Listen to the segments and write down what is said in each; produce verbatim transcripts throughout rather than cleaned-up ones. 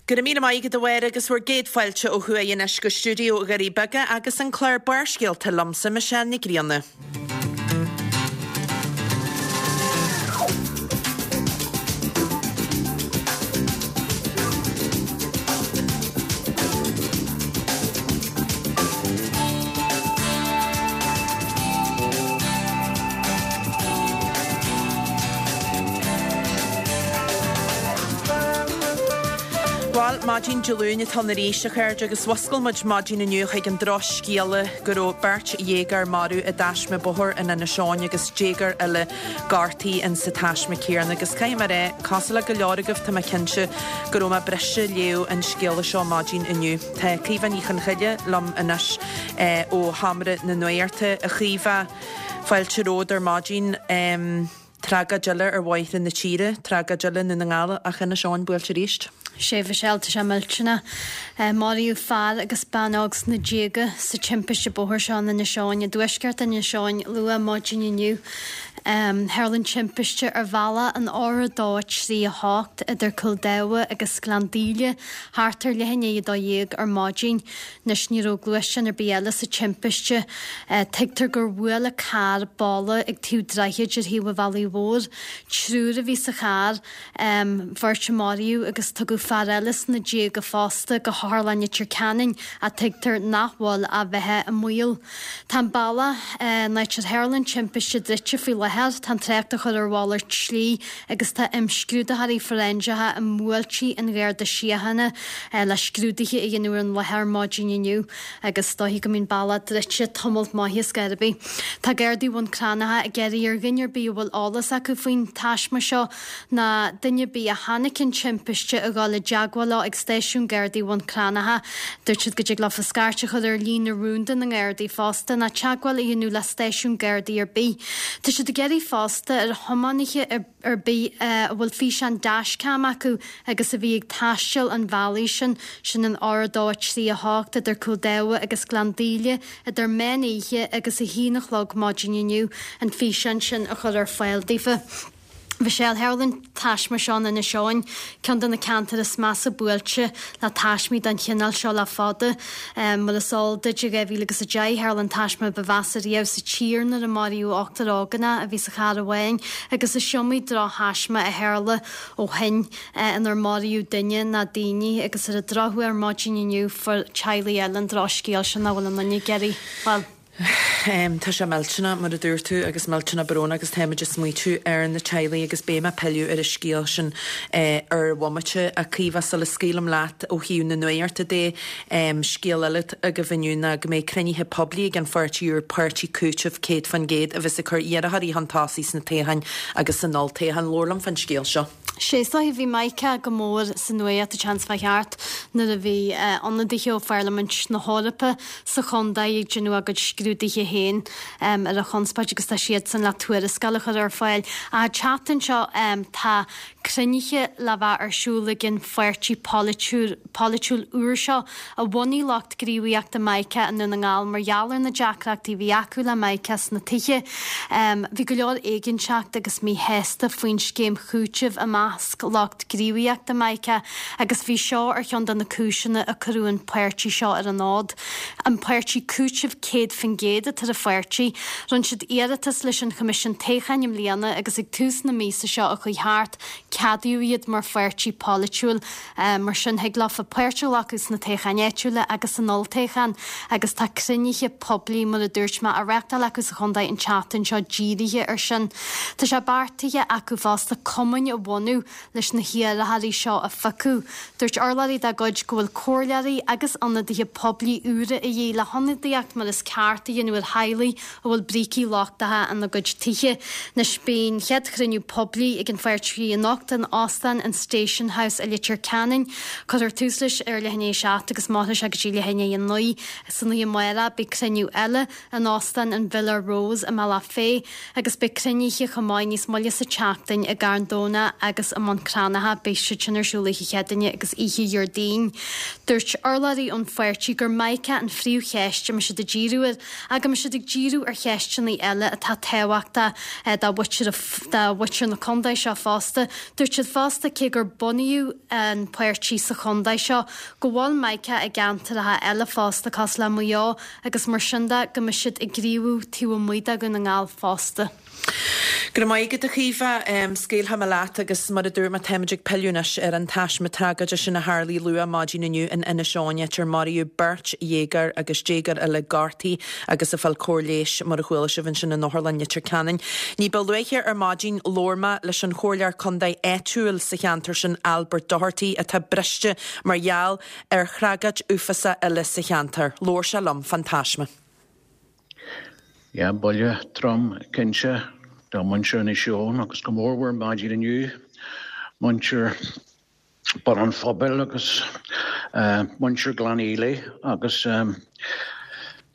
Go raibh míle maith agat a Mháire agus bhur gcéad fáilte ó thuaidh anois go stiúideo Dhoirí Beaga agus an clár Barrscéalta liomsa Michelle Nic Grianna. Bhuel, maidin Dé Luain atá ann arís, a chairde, agus mhuscail muid maidin inniu chuig an drochscéala go raibh beirt dhéagóir marbh i dtaisme bóthair in Inis Eoghain agus déagóir eile gortaithe insa taisme céanna. Agus caithfidh mé a rá, cosúil le go leor agaibh, tá mé cinnte go raibh mé briste léamh an scéala seo maidin inniu. Tá Caoimhe Ní Chonchoille liom anois ó Sheomra na Nuachta. A Chaoimhe, fáilte romhat ar maidin. Tragóid eile ar bhóithre na tíre, tragóid eile i nDún na nGall ach Inis Eoghain buailte arís. Sea, a Mhichelle, tá sé millteanach. Maraíodh fear agus bean óg sna déaga sa timpiste bóthair seo in Inis Eoghain, i dtuaisceart Inis Eoghain, luath maidin inniu. Tharla an timpiste ar bhealach an R a dó trí a hocht idir Cúil Dabha agus Gleann Daoile thart ar leath i ndiaidh a dó dhéag ar maidin. Anois ní raibh gluaisteán ar bith eile sa timpiste. Tuigtear gur bhuail an carr balla ag taobh droichid ar thaobh an bhealaigh mhóir. Triúr a bhí sa charr, beirt a maraíodh agus tugadh fear eile sna déaga fosta go hOtharlann Leitir Ceanainn ach tuigtear nach bhfuil a bheatha i mbaol. Tá an bealach, an áit ar tharla an timpiste druidte faoi láthair, tá an trácht á chur ar mhalairt slí agus tá imscrúdaitheoirí fóiréinseacha i mbuailtí an Gharda Síochána le scrúduithe a dhéanamh ar an láthair maidin inniu agus is dóichí go mbíonn bealach druidte tamalt maith ar scor ar bith. Tá Gardaí Bhun Cranncha ag iarraidh ar dhuine ar bith a bhfuil eolas acu faoin taisme seo ná duine ar bith a chonaic an timpiste a dhul i dteagmháil leo ag stáisiún Gardaí Bhun Cranncha. Dúirt siad go dtig leofa scairt a chur ar líne rúnda na nGardaí fosta ná teagmháil a dhéanamh le stáisiún Gardaí ar bith. Tá siad ag iarraidh fosta ar thiománaithe ar bith a bhfuil físeán dashcam acu agus a bhí ag taisteal an bhealaigh sin, sin an R a dó a trí a hocht idir Cúil Dabha agus Gleann Daoile, idir meán oíche agus a haon a chlog maidin inniu, an físeán sin a chur ar fáil daofa. Michelle, tharla an taisme seo in Inis Eoghain, ceann de na ceantair is measa buailte le taismí den chineál seo le fada. Mar is eol duit, i dhá mhíle agus a deich, tharla an taisme ba mheasa riamh sa tír nuair a maraíodh ochtar ógánach a bhí sa charr amháin agus is iomaí drochthaisme a tharla ó shin inar maraíodh duine ná daoine agus ar an drochuair maidin inniu fuair teaghlaigh eile an drochscéal sin nach bhfuil aon duine ag iarraidh, bhuel. Tá sé millteanach, mar a dúirt tú, agus millteanach brónach agus táimid ag smaoitiú ar na teaghlaigh agus beidh mé ag pilleadh ar an scéal sin ar bhomaite. A Chaoimhe, sula scaoilim leat ó thaobh na nuachta de, scéal eile agaibh inniu ná go mbeidh cruinnithe poiblí ag an pháirtí úr, Páirtí Cúitimh Céad Faoin gCéad, a bheas ag cur iarrthóirí chun tosaigh sna toghcháin agus san olltoghchán. Labhair liom fán scéal seo. Sea, is dóiche, bhí Mica go mór sa nuacht an tseachtain seo chuaigh thart nuair a bhí ionadaithe ó Pharlaimint na hEorpa sa chontae ag déanamh a gcuid scrúduithe féin ar an chonspóid agus tá siadsan le tuarascáil a chur ar fáil. Ach an tseachtain seo tá cruinnithe le bheith ar siúl ag an pháirtí polaitiúil úr seo a bhunaigh lucht gníomhaíochta Mica i nDún na nGall mar gheall ar na deacrachtaí a bhí acu le Mica sna tithe. Bhí go leor éiginnteacht agus míshásta faoin scéim chúitimh i measc lucht gníomhaíochta Mica agus bhí seo ar cheann de na cúiseanna a cuireadh an páirtí seo ar an fhód. An Páirtí Cúitimh Céad Faoin gCéad atá ar an pháirtí. Rinne siad iarratas leis an Choimisiún Toghcháin i mbliana agus ag tús na míosa seo a chuaigh thart, Ceadaíodh iad mar pháirtí polaitiúil, mar sin thig leofa páirt a ghlacadh sna toghcháin áitiúla agus san olltoghchán agus tá cruinnithe poiblí, mar a dúirt mé, á reáchtáil acu sa chontae an tseachtain seo dírithe ar sin. Tá sé beartaithe acu fosta cumainn a bhunú leis na hiarrthóirí seo a phiocadh. Dúirt urlabhraí dá gcuid go bhfuil comhairleoirí agus ionadaithe poiblí úra a dhíth le hionadaíocht mar is ceart a dhéanamh ar theaghlaigh a bhfuil brící lochtacha ina gcuid tithe. Anois beidh an chéad chruinniú poiblí ag an pháirtí anocht in Óstán an Station House i Leitir Ceanainn. Cuirfear tús leis ar leath i ndiaidh a seacht agus mairfidh sé go dtí leath i ndiaidh a naoi. San oíche amárach beidh cruinniú eile in Óstán an Villa Rose i mBealach Féich agus beidh cruinnithe chomh maith níos moille sa tseachtain i gCarn Domhnach agus agus i mBun Cranncha. Beidh siad sin ar siúl oíche Chéadaoine agus oíche Dhéardaoin. Dúirt urlabhraí ón pháirtí gur Mica an phríomhcheist a mbeidh siad ag díriú air ach go mbeidh siad ag díriú ar cheisteanna eile atá tábhachtach do mhuintir do mhuintir na contae seo fosta. Dúirt siad fosta cé gur bunaíodh an páirtí sa chontae seo go bhfuil Mica i gceantracha eile fosta cosúil le Maigh Eo agus mar sin de go mbeidh siad ag gníomhú taobh amuigh de Dhún na nGall fosta. Go raibh maith agat a Chaoimhe, scaoilfidh mé leat agus mar a dúirt mé táimid ag pilleadh anois ar an taisme tragóide sin a tharlaigh luath maidin inniu in Inis Eoghain áit ar maraíodh beirt dhéagóir agus déagóir eile gortaithe agus ag fáil cóir leighis mar a chuala sibh ansin in Otharlann Leitir Ceanainn. Ní ba luaithe ar maidin labhair mé leis an chomhairleoir contae áitiúil sa cheantar sin Albert Doherty atá briste mar gheall ar thragóid uafásach eile sa cheantar. Labhair sé liom fán taisme. Ja, buille trom cinnte do mhuintir Inis Eoghain agus go mórmhór maidin inniu muintir Bun an Phobail agus uh, muintir Ghleann Fhaola agus um,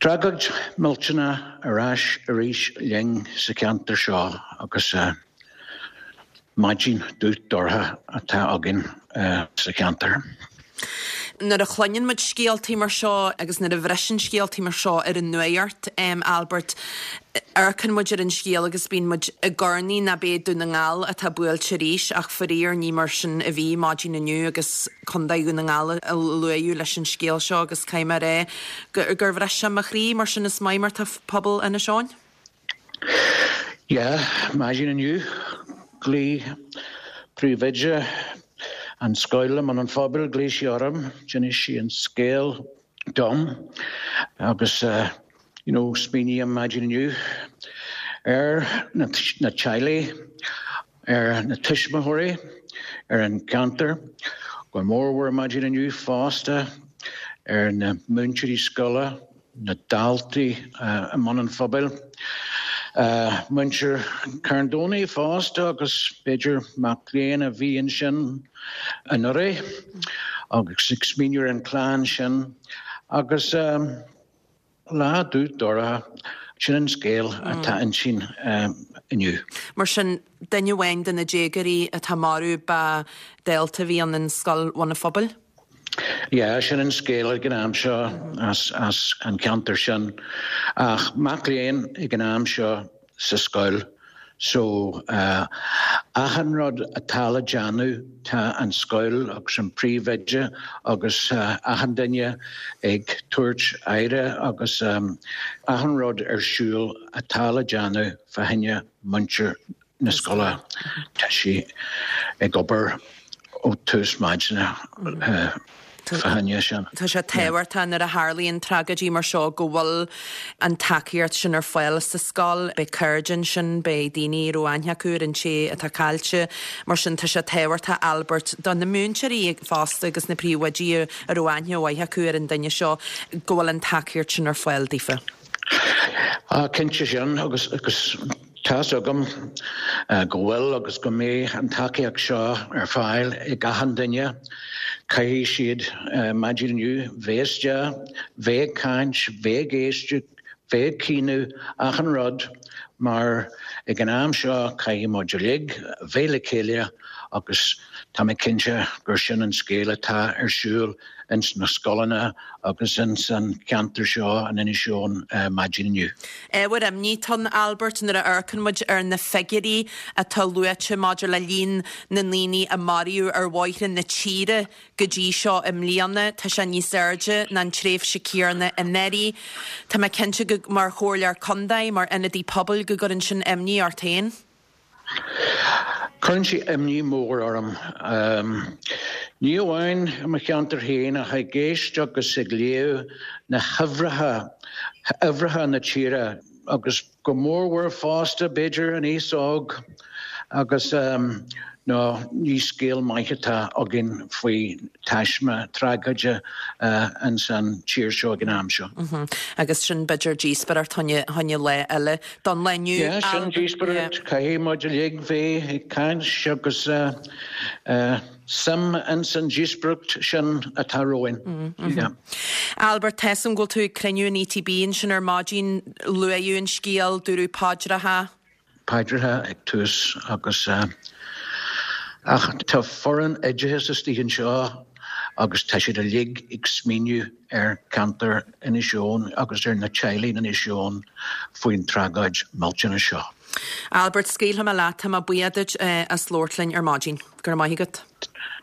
tragóid millteanach ar ais arís linn sa cheantar seo agus uh, maidin dubh dorcha atá againn uh, sa cheantar. Nuair a chluineann muid scéaltaí mar seo agus nuair a bhriseann scéaltaí mar seo ar an nuacht um, Albert amharcann muid ar an scéal agus bíonn muid i gcornaí na bé Dún na nGall atá buailte arís ach faraor ní mar sin a bhí maidin inniu agus Contae Dhún na nGall a luadh leis an scéal seo agus caithfidh mé rá gur bhris sé mo chroí mar sin is maith mar tá pobal Inis Eoghain? Ja, maidin inniu ghlaoigh príomhoide an scoil an an phobail ghlaoigh sí orm, d'inis sí an scéal dom agus uh, you know, smaoiním maidin inniu ar na, na teaghlaigh, ar na tuismitheoirí, ar an gceantar, go mórmhór maidin inniu fosta ar na múinteoirí scoile, na daltaí uh, i mBun an Phobail. Uh, muintir Carndonagh fosta agus b'fhéidir mac léinn a bhí ansin anuraidh agus ag smaoineamh ar an chlann sin agus um, lá dubh dorcha sin an scéal atá ansin um, inniu. Mar sin duine amháin de na déagóirí atá marbh ba dalta a bhí ann in scoil Bhun an Phobail? Ja, sin an scéal ag an am seo as, as an ceantar sin ach mac léinn ag an am seo sa scoil. So uh, achan rud atá le déanamh tá an scoil agus an príomhoide agus uh, achan duine ag tabhairt aire agus um, achan rud ar siúl atá le déanamh fá choinne muintir na scoile Tá sí ag obair ó tús maidine uh, sin. Tá sé tábhachtach nuair a tharlaíonn tragóidí mar seo go bhfuil an tacaíocht sin ar fáil sa scoil, beidh cairde sin beidh daoine romhainn acu ar an té atá caillte, mar sin tá sé tábhachtach Albert do na múinteoirí fosta agus na príomhoidí a raibh aithne mhaith acu ar an duine seo go bhfuil an tacaíocht sin ar fáil daofa. Ah, cinnte sin agus agus Tá agam uh, go bhfuil agus go mbeidh an tacaíocht seo ar fáil ag achan duine, Caithfidh siad uh, maidin inniu bheith bheith ag caint, bheith ag éisteacht, bheith ag caoineadh achan rud mar ag an am seo caithfidh muid uilig bheith le chéile agus tá mé cinnte gur sin an scéal atá ar siúl ins na scoileanna agus ins an ceantar seo an Inis Eoghain uh, maidin inniu. Ábhar imní atá ann Albert nuair a amharcann muid ar na figiúirí atá luaite maidir le líon na ndaoine a maraíodh ar bhóithre na tíre go dtí seo i mbliana tá sé níos airde ná an tréimhse chéanna anuraidh. Tá mé cinnte go mar chomhairleoir contae mar ionadaí pobail go gcuireann sin imní ort féin. Cuireann sé imní mór orm. Um, Ní amháin i mo cheantar féin ach ag éisteacht agus ag léamh na huimhreacha uimhreacha na tíre agus go mórmhór fosta b'fhéidir an aos óg agus um, nó ní scéal maith atá againn faoi taisme tragóide uh, an san tír seo ag an am seo. Mm -hmm. Agus sin b'fhéidir díospóireacht fá choinne lá eile don lá inniu. Ja, sin díospóireacht caithfidh muid uilig bheith ag caint agus uh, uh, suim in san díospóireacht sin atá romhainn. Mm -hmm. yeah. Albert Tessan ghfuil tú ag cruinniú an ETB ansin ar maidin luaíodh an scéal dúradh paidreacha? Paidreacha ag tús agus uh, Ach tá foireann oideachais istigh anseo agus tá siad uilig ag smaoineamh ar cheantar Inis Eoghain agus ar na teaghlaigh in Inis Eoghain faoin tragóid millteanach seo. Albert, scaoilfidh mé leat, tá mé buíoch duit as labhairt linn ar maidin. Go raibh maith agat.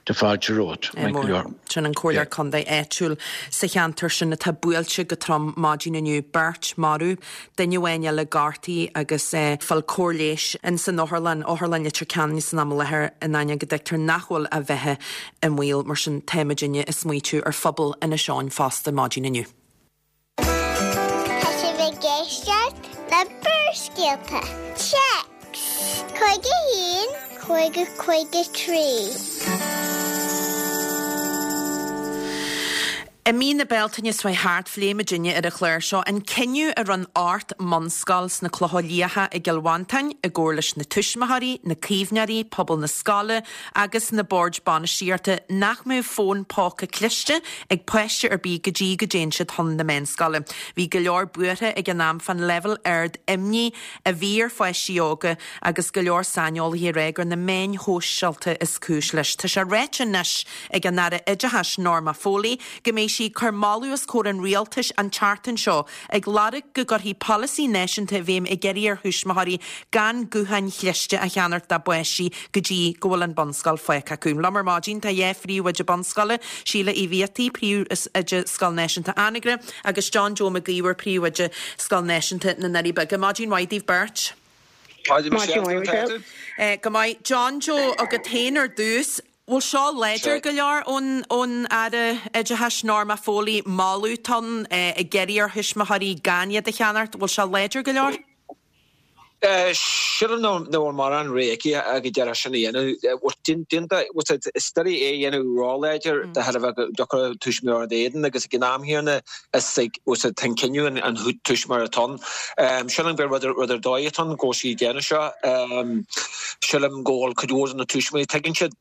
Tá fáilte romhat, maith go leor. Sin an comhairleoir contae áitiúil sa cheantar sin atá buailte go trom maidin inniu, beirt marbh, duine amháin eile gortaithe agus fáil cóir leighis in san otharlann, Otharlann Leitir Ceanainn san am i láthair in ainneoin go dtuigtear nach bhfuil a bheatha i mbaol. Mar sin táimidne ag smaoitiú ar phobal Inis Eoghain fosta maidin inniu. Tá sibh ag éisteacht le Barrscéalta. Téacs cúig a haon cúig a cúig a trí. I mí na Bealtaine seo thart, phléigh muidinne ar an chlár seo an cinneadh a rinne ocht mbunscoil sna Clocha Liatha i gCill Mhantáin, i gcomhar leis na tuismitheoirí, na caomhnóirí, pobal na scoile agus na boird bainistíochta, nach mbeadh fón póca cliste ag páiste ar bith go dtí go dtéann siad chun na meánscoile. Bhí go leor buartha ag an am fán leibhéal ard imní a bhí ar pháistí óga agus go leor saineolaithe ag rá gur na meáin shóisialta is cúis leis. Tá sé ráite anois ag an Aire Oideachais Norma Foley go mbeidh sí ag cur moladh os comhair an rialtais an tseachtain seo ag lorg go gcuirfí polasaí náisiúnta i bhfeidhm ag iarraidh ar thuismitheoirí gan gutháin chliste a cheannacht dá bpáistí go dtí go bhfuil an bunscoil fágtha acu. Liom ar maidin tá dhá phríomhoide bunscoile, Síle Uí Bhiataigh, Príomhoide Scoil Náisiúnta Anagaire agus John Joe Mac Íomhair, Príomhoide Scoil Náisiúnta na nDoirí Beaga. Maidin mhaith daoibh beirt. Maidin mhaith, Michelle. Go maith. John Joe, agat féin ar dtús, bhfuil seo láidir go leor ón ón Aire Oideachais Norma Foley, moladh atá ann ag iarraidh ar thuismitheoirí gan iad a cheannacht, bhfuil sé láidir go leor? Sílim nach bhfuil mórán rogha aici ach go díreach sin a dhéanamh. Is doiligh é a dhéanamh róláidir de thairbhe go dtiocfadh tuismitheoir ina éadan agus ag an am chéanna is ag tá an cinneadh an tuismitheoir atá ann. Sílim gur rud ar dóigh atá ann go bhfuil sí ag déanamh seo. Sílim go bhfuil cuid mhór de na tuismitheoirí, tuigeann siad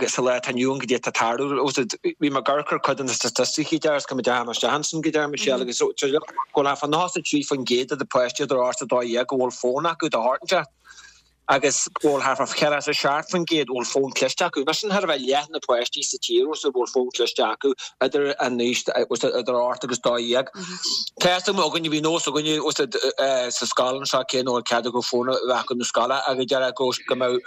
sa lá atá inniu ann goidé atá ag tarlú. Bhí mé ag amharc ar cuid de na staitisticí deir go mbeadh isteach ansin go deir Michelle agus go bhfuil thart fá nócha a trí faoin gcéad de na páistí idir ocht is a dó dhéag go bhfuil fón acu de shórt inteacht agus go bhfuil thart fá ceathracha a seacht faoin gcéad a bhfuil fón cliste acu. Nó sin thar a bheith leath na páistí sa tír a bhfuil fón cliste acu idir an aois idir ocht agus dó dhéag. Tá a fhios againne, bhí nós againne sa scoil anseo cé nach bhfuil cead acu fón a bheith acu na scoile ach deir go go mbeadh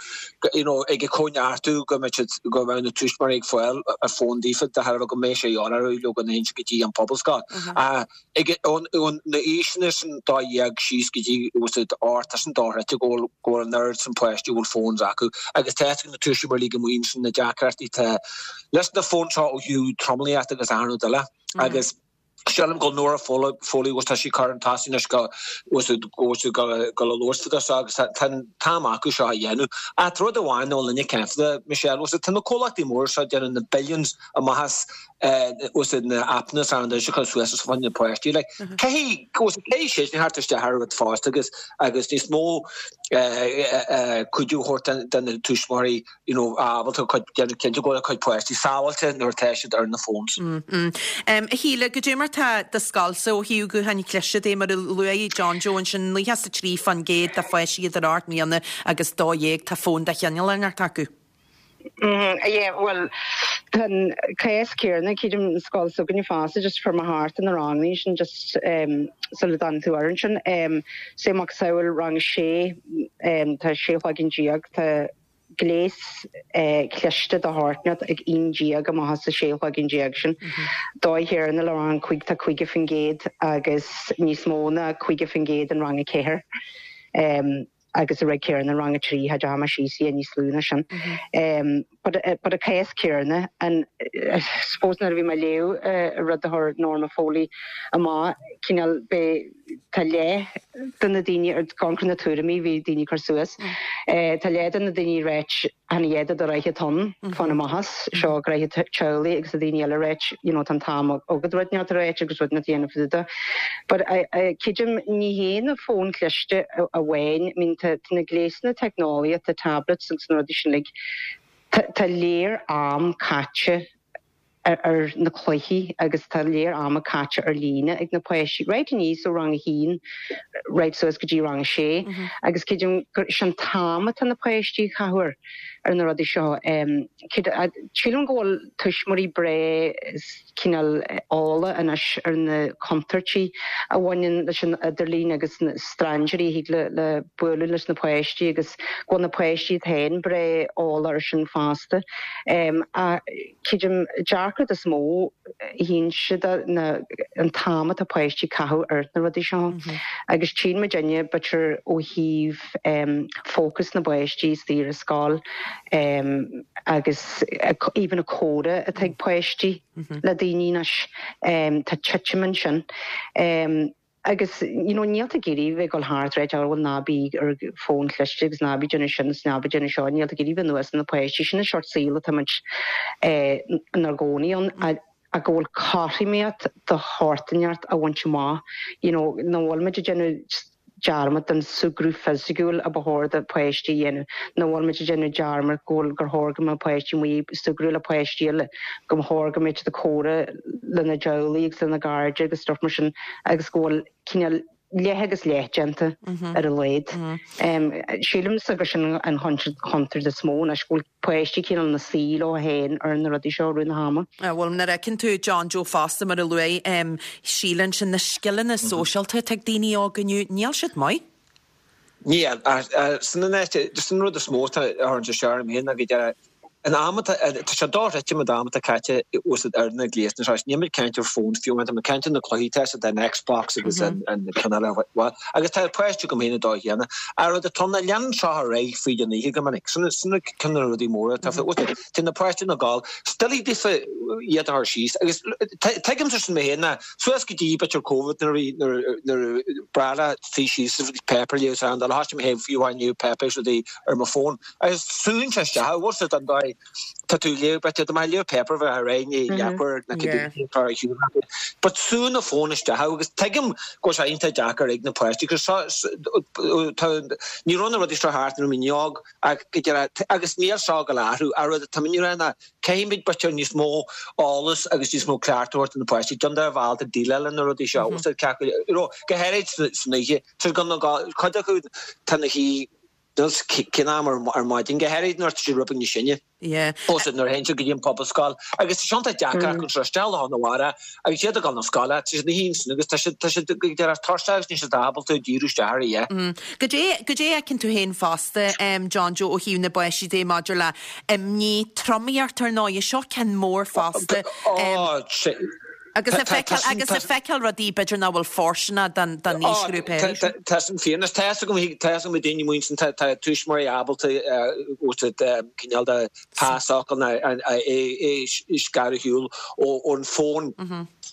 you know ag comhneartú go mbeadh siad go mbeadh na tuismitheoirí ag fáil a fón daofa de thairbhe go mbeidh sé de dhíth orthu leo go n-aon go dtí an pobalscoil. Ag ón na aoiseanna sin dó dhéag síos go dtí ocht tá sin dochreidte go bhfuil go bhfuil an oiread sin páistí a bhfuil phones acu agus tá a fhios ag na tuismitheoirí go mbíonn sin na deacrachtaí tá leis na fóin seo ó thaobh tromluíocht agus achan rud eile agus sílim go bhfuil Norma Foley agus tá sí chun tosaigh anois go go go go le labhairt fá seo agus tá an t-am acu seo a dhéanamh. Ach tá rud amháin nach bhfuil éinne ag caint fá, Michelle, agus tá na comhlachtaí móra seo ag déanamh na billions amach as agus na appanna is achan rud a chur suas os coinne na páistí. Like, caithfidh caithfidh siad theacht isteach ar rud fosta agus agus níos mó cuidiú a thabhairt do na tuismitheoirí you know, ábalta cuid déanamh cinnte go bhfuil a cuid páistí sábháilte nuair atá siad ar na phones. A Shíle, goidé mar tá do scoilsa ó thaobh gutháin chliste de, mar a luaigh John Joe ansin, nócha is a trí faoin gcéad de pháistí idir ocht mbliana agus dó dhéag tá fón de chineál inteacht acu. Yeah, bhuel, tá an cás céanna, creidim an scoil s'againne fosta, just fuair mé thart ar na ranganna sin just um, sula dtáinig tú ar ansin. Um, sé macasamhail rang a sé, um, tá sé chloigeann déag, tá gléas eh, cliste de shórt inteacht ag aon déag amach as a sé chloigeann déag sin. Dóigh chéanna le rang cúig tá caoga faoin gcéad agus níos mó ná caoga faoin gcéad in rang a ceathair. Um, agus a rud céanna rang a trí ha deama sí sí níos lú ná sin. Um, but, uh, but a cás céanna and uh, suppose nuair a bhí mé ag léamh uh, rud a chuir Norma Foley amach cineál be tá leath de na daoine ar goncar na tuairimí bhí daoine cur suas. Uh, tá leath de na daoine ráit an iad do reithe ton fan amachas seo greithe teolaí agus a daoine eile ráit you know, tá an t-am agad rud neart ráit agus rud na déanamh fúda. But creidim ní hé na fón cliste amháin, I mean, tá na gléasanna teicneolaíochta tablets agus na rudaí sin like, tá léir am caite ar, ar na cluichí agus tá léir ama caite ar líne ag na páistí. Right aníos ó rang a haon right suas go dtí rang a sé mm -hmm. agus creidim gur sin an t-am atá na páistí chathir ar na rudaí seo. Sílim go bhfuil tuismitheoirí breá cineál eolach anois ar na contúirtí a bhaineann leis an idirlíon agus na strainséirí a thig le le bualadh leis na páistí agus go bhfuil na páistí iad féin breá eolach air sin fosta. Creidim deacracht is mó a théann siad ná an t-am atá páistí ag caitheamh ar na rudaí seo. Agus tchíonn muidinne b'fhéidir ó thaobh fócas na bpáistí istigh ar scoil agus even an comhrá atá ag páistí le daoine anois tá titim ansin. Agus you know níl tú ag iarraidh bheith ag dul thart ag rá bhuel ná bí ar fón cliste agus ná bí déanamh sin is ná bí déanamh seo, níl tú ag iarraidh bheith anuas ar na páistí, sin an seort saoil atá muid inár gcónaí ann ach go bhfuil cothromaíocht de shórt inteacht a bhaint amach, you know nach bhfuil muid ag déanamh dearmad den súgradh fisiciúil a ba chóir do pháistí a dhéanamh, nach bhfuil muid ag déanamh dearmad go bhfuil gur chóir go mbeadh páistí amuigh ag súgradh le páistí eile, go mba chóir go mbeadh siad ag comhrá lena dteaghlaigh agus lena gcairde agus stuff mar sin agus go bhfuil cineál leath agus leath déanta ar a laghad. Sílimse gur sin an chontúirt is mó anois, go bhfuil páistí cineál ina suí leo féin ar na rudaí seo i rith na hama. Bhuel, nuair a fheiceann tú John Joe fosta, mar a luaigh Síle ansin, na scileanna sóisialta atá ag daoine óga inniu, níl siad maith. Níl, sin an áit, sin an rud is mó atá a chuireann sé isteach orm féin ná go deireadh an am atá, tá sé dochreidte an t-am atá caite úsáid ar na gléasanna seo. Níl mé ag caint ar fón fiú amháin, tá mé ag caint ar na cluichí tá siad an Xbox agus an ceann eile agus tá páistí agam féin ag dul chéanna. An rud atá ann ná leanann seo ar aghaidh fríd an oíche go minic. Sin sin ceann de na rudaí móra atá fé. Tá na páistí ina gcodladh, is doiligh daofa iad a chur síos agus tuigimse sin mé féin ná suas go dtí b'fhéidir Covid nuair a bhí nuair nuair breá leat suí síos agus páipéar a léamh is an dul thosaigh mé féin fiú amháin léamh páipéar is rudaí ar mo fón agus súnn sé isteach bhfuil siad an dóigh tá tú ag léamh b'fhéidir dá mbeifeá ag léamh páipéar bheifeá ar aghaidh i ndiaidh leathuair nó cibé atá ar shiúl agat. But súnn an fón isteach agus tuigim go bhfuil sé iontach deacair ag na páistí cos tá ní raibh na rudaí seo thart nuair a bhí mé óg ach go deireadh agus níl seo ag gabháil a athrú an rud atá mé ag rá ná caithfimid b'fhéidir níos mó eolas agus níos mó cleachtadh a thabhairt do na páistí cén dóigh a bhfuil ábalta déileáil le na rudaí seo you know go háirid san oíche tá cuid acu tá na hí cén am ar maidin, go háirid nuair atá siad rud beag níos sine. Ó nuair a théann siad go dtí an Pobalscoil agus tá sé iontach deacair acu seo isteach lá na mhara agus iad ag dul na scoile, tá siad ina shuí ansin agus tá siad tá siad go deireadh tuirseach agus níl siad ábalta díriú isteach ar a dhath. Goidé goidé a fheiceann tú féin fosta, John Joe, ó thaobh na bpáistí de maidir le imní, tromaíocht ar ndóigh, seo ceann mór fosta. Ó, Agus ag feiceáil agus ag feiceáil rudaí b'fhéidir nach bhfuil fóirsteanach don don aoisghrúpa é sin. Tá sin fíor. Anois tá fhios agam tá fhios agam daoine amuigh ansin tá tá tuismitheoirí ábalta cineál de pasfhocal nó é é scaradh ar shiúl ón bhfón.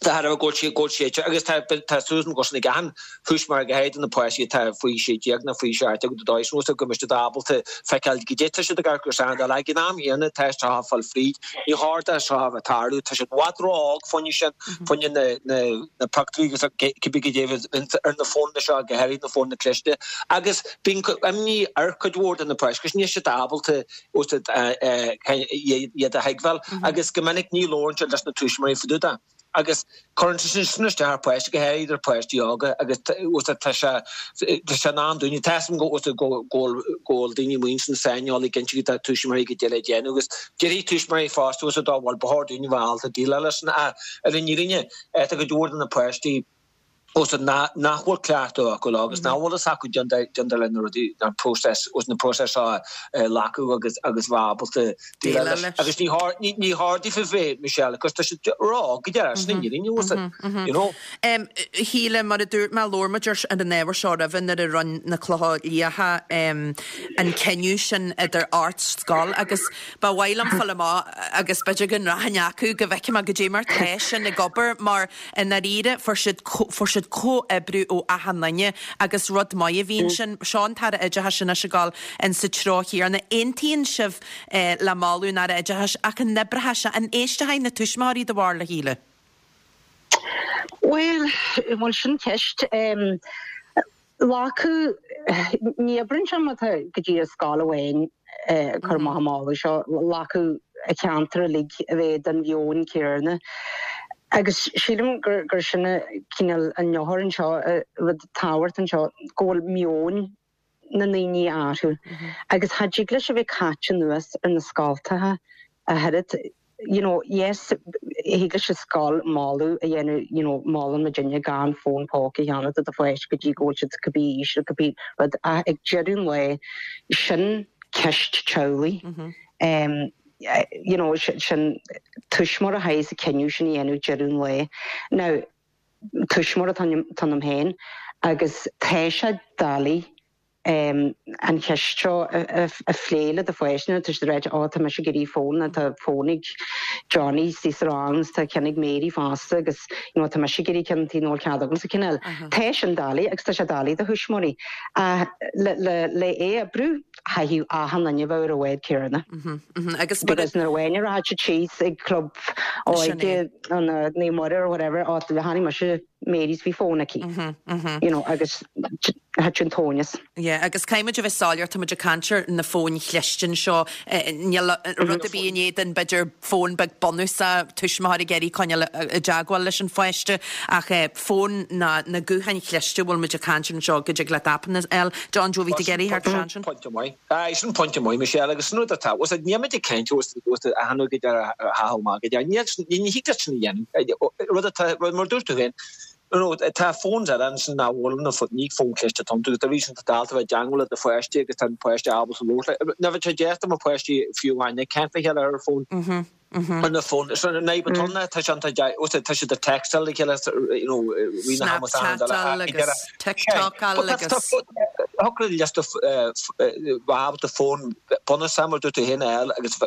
De thairbhe go bhfuil sé go bhfuil sé agus tá tá súil agam go bhfuil sin ag achan thuismitheoir go háirid na páistí atá faoi sé déag nó faoi seacht déag d'aois nó go mbeidh siad ábalta feiceáil goidé tá siad ag amharc ar san ag an am chéanna tá seo ag fáil fríd. Ní chóir do seo a bheith ag tarlú tá siad i bhfad ró-óg fá choinne sin. fá choinne na pictiúirí agus cibé goidé ar na fónanna seo, go háirid na fónanna cliste, agus bíonn imní ar chuid mhór de na páistí agus níl siad ábalta iad a thuigbheáil agus go minic ní labhrann siad leis na tuismitheoirí fá dtaobh de agus cuireann sé sin isteach ar pháistí, go háirid ar pháistí óga agus tá sé tá sé in am dúinne, tá fhios agam go bhfuil go bhfuil daoine amuigh ansin saineolaí cinnte go dtá tuismitheoirí goidé le déanamh agus déarfaidh tuismitheoirí fosta bhuel ba chóir dúinn a bheith ábalta déileáil leis sin ach ar an fhírinne tá cuid mhór de na páistí nach nach bhfuil cleachtadh acu leo agus nach bhfuil fhios acu cén dóigh le na rudaí an process na próisis seo a ghlacadh agus agus bheith ábalta déileáil leis. Agus ní chóir ní ní chóir daofa bheith Michelle cos tá siad ró-óg go deireadh sin an fhírinne bhfuil you know. Shíle, mar a dúirt mé, labhair muid ar an ábhar seo roimhe nuair a rinne na Clocha Liatha an cinneadh sin idir ocht scoil agus ba mhaith liom fáil amach agus b'fhéidir go nrachainn acu go bhfeicfidh mé goidé mar tá sin ag obair mar i ndáiríre fuair siad fuair siad comhoibriú ó achan duine agus rud maith a bhí ansin. Seo an tAire Oideachais anois ag dul in sa treo chéanna. Aontaíonn sibh le moladh an Aire Oideachais ach an oibreoidh sé, an éistfidh na tuismitheoirí do bharúil, a Shíle? Bhuel, bhuel sin ceist. Glacadh, ní oibreann sé má tá go dtí scoil amháin ag cur amach an moladh seo, glacadh an ceantar uilig a bheith den mheon céanna. Agus sílim gur gur sin cineál an eochair anseo, rud tábhachtach anseo, go bhfuil meon na ndaoine orthu agus cha dtig leis a bheith caite anuas ar na scoltacha a oiread you know yes thig leis an scoil moladh a dhéanamh you know molann muidinne gan fón póca a cheannach do do pháiste go dtí go bhfuil siad cibé aois nó cibé rud ach ag deireadh an lae sin ceist teaghlaigh um, you know sin tuismitheoir a chaithfidh an cinneadh sin a dhéanamh deireadh an lae. Now tuismitheoir atá ionam féin agus tá sé doiligh um, an cheist seo a phlé le do pháiste tá siad ag rá ó tá mise ag iarraidh fón tá fón ag Johnny sí sa rang tá ceann ag Mary fosta agus you know, tá mise ag iarraidh ceann tí nó cead agus cineál. Tá sin doiligh agus tá sé doiligh do thuismitheoirí le le le é a brú caithfidh achan duine bheith ar an bhád céanna. Agus Because nuair a bhain rá síos ag club óige an Naomh Muire or whatever á le tháinig mise Mary's bhí fón aici. You know, agus thit an tóineas. Yeah, agus caithfimid a bheith soiléir tá muid ag caint ar na fóin chliste seo níl rud ar bith in éadan b'fhéidir fón beag bunúsach tuismitheoir ag iarraidh coinneáil i dteagmháil leis an pháiste ach fón na na gutháin chliste bhfuil muid ag caint anseo go dtig leat appanna eile. John Joe bhí tú ag iarraidh thart sin? Pointe maith. Aye, sin pointe maith Michelle agus sin rud atá was níl muid ag caint was was a hanú go dear ha má go dear ní ní thig leat sin a dhéanamh rud atá rud mar dúirt tú féin You know, tá fóns ar an sin ná bhfuil na ní fón cliste tom tú tar éis an dalta bheith i dteagmháil le do pháiste agus tá an páiste ábalta labhairt le. Na bheith sé deasta mar páistí fiú amháin ag caint le chéile ar an fón. Ar na fón so na batonna tá sé tá tá siad ag textáil le chéile you know rí na hamas Snapchat agus TikTok agus Thocra leis ábalta fón bunúsach mar dúirt tú féin eile agus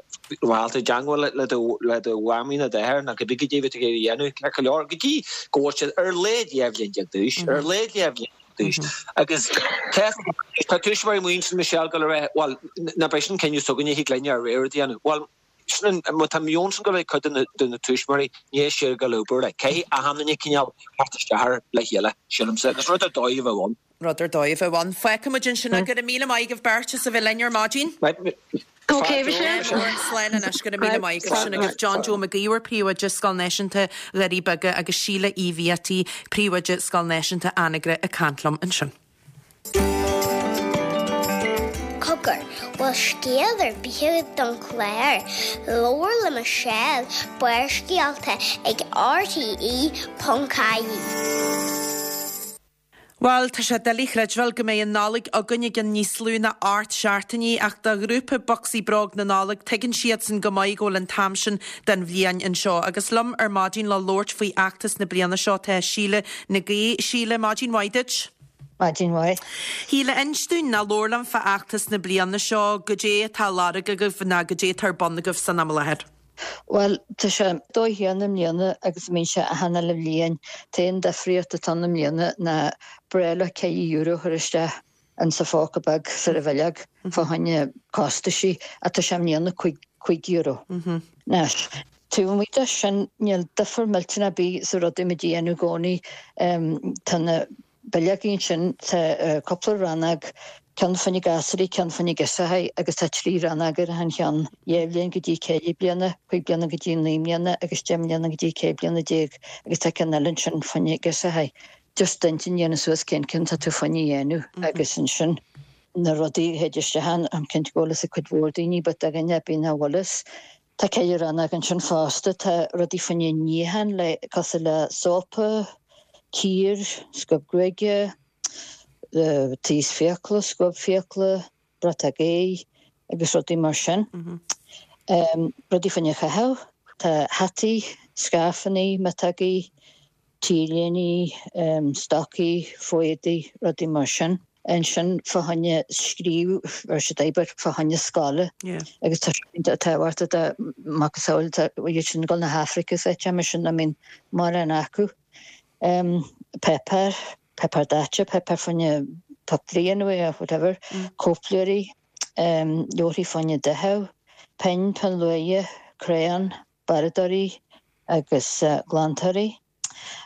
bhálta teagmháil le do le do mhamaí nó d'athair ná go big dé bheith ag dhéanamh le go leor go dtí go bhfuil siad ar leid dhá bhliain déag d'aois ar leid dhá bhliain d'aois agus tá tuismitheoirí muin sin Michelle go le well na beidh sin cinneadh s'againne thig linn ár rogha a dhéanamh. Well sin má tá meon sin go bhfuil cuid de na de na tuismitheoirí ní sé go leor le cé a hanna cineál thart isteach le chéile sílimse agus rud ar dóigh a bheith ann. Rud ar dóigh a bheith ann. Feicfimid ansin go raibh míle maith agaibh beirt as a bheith linn ar maidin. Ok, Michelle. Slán anois go raibh míle maith agaibh sin agaibh John Joe Mac Íomhair príomhoide Scoil Náisiúnta Dhoirí Beaga agus Síle Uí Bhiataigh príomhoide Scoil Náisiúnta Anagaire ag caint liom ansin. Cogar, bhfuil scéal ar bith don chlár, Labhair le Michelle, Barrscéalta ag RTE.ie. Bhuel, tá sé doiligh a chreidbheáil go mbeidh an Nollaig againn i gceann níos lú ná ocht seachtainí ach do ghrúpa Bocsaí Bróg na Nollag tuigeann siadsan go maith go bhfuil an t-am sin den bhliain anseo. Agus liom ar maidin le labhairt faoi fheachtas na bliana seo tá Síle Nic Aoidh. Síle, maidin mhaith duit. Maidin mhaith. Shíle inis dúinn ná labhair liom fá fheachtas na bliana seo, goidé atá á lorg agaibh ná goidé atá ar bun agaibh san am i láthair. Bhuel, tá sé dóigh chéanna i mbliana agus a mbíonn sé achan uile bhliain. An t-aon difríocht atá ann i mbliana ná breithlá ceithre euro a chur isteach insa phóca beag sa bhileog fá choinne costaisí ach tá sé i mbliana cúig cúig euro. Anois, taobh amuigh de sin níl difear millteanach ar bith sa rud a bhímid a dhéanamh i gcónaí. Tá na bileogaí ansin, tá cúpla rannóg, ceann fá choinne gasúraí, ceann fá choinne girseachaí agus tá trí rannóg ar achan cheann, dhá bhliain go dtí ceithre bliana, cúig bliana go dtí naoi mbliana agus deich mbliana go dtí ceithre bliana déag agus tá ceann eile ansin fá choinne girseachaí. Just d'intinn a dhéanamh suas cén ceann tá tú fá choinne a dhéanamh agus ansin na rudaí a théid isteach ann, táim cinnte go bhfuil fhios ag cuid mhór daoine but do dhuine ar bith nach bhfuil fhios, tá ceithre rannóg ansin fosta, tá rudaí fá choinne níochán le cosúil le sópa, cíor, scuab gruaige, taos fiacla, scuab fiacla, bratóg aghaidhe agus rudaí mar sin. Rudaí fá choinne chaitheamh, tá hataí, scairfeanna, miotógaí, t-léiní, stocaí, fo-éadaí, rudaí mar sin. Ansin fá choinne scríobh, ar siad obair fá choinne scoile agus tá sé iontach tábhachtach do macasamhail iad sin ag dul na hAfraice is áit mar sin nach mbíonn mórán acu. Páipéar, páipéar daite, páipéar fá choinne pictiúirí a dhéanamh or whatever, cóipleabhair, leabharthaí fá choinne daicheadh, pinn, pinn luaidhe, crayon, barradóirí agus glantóirí.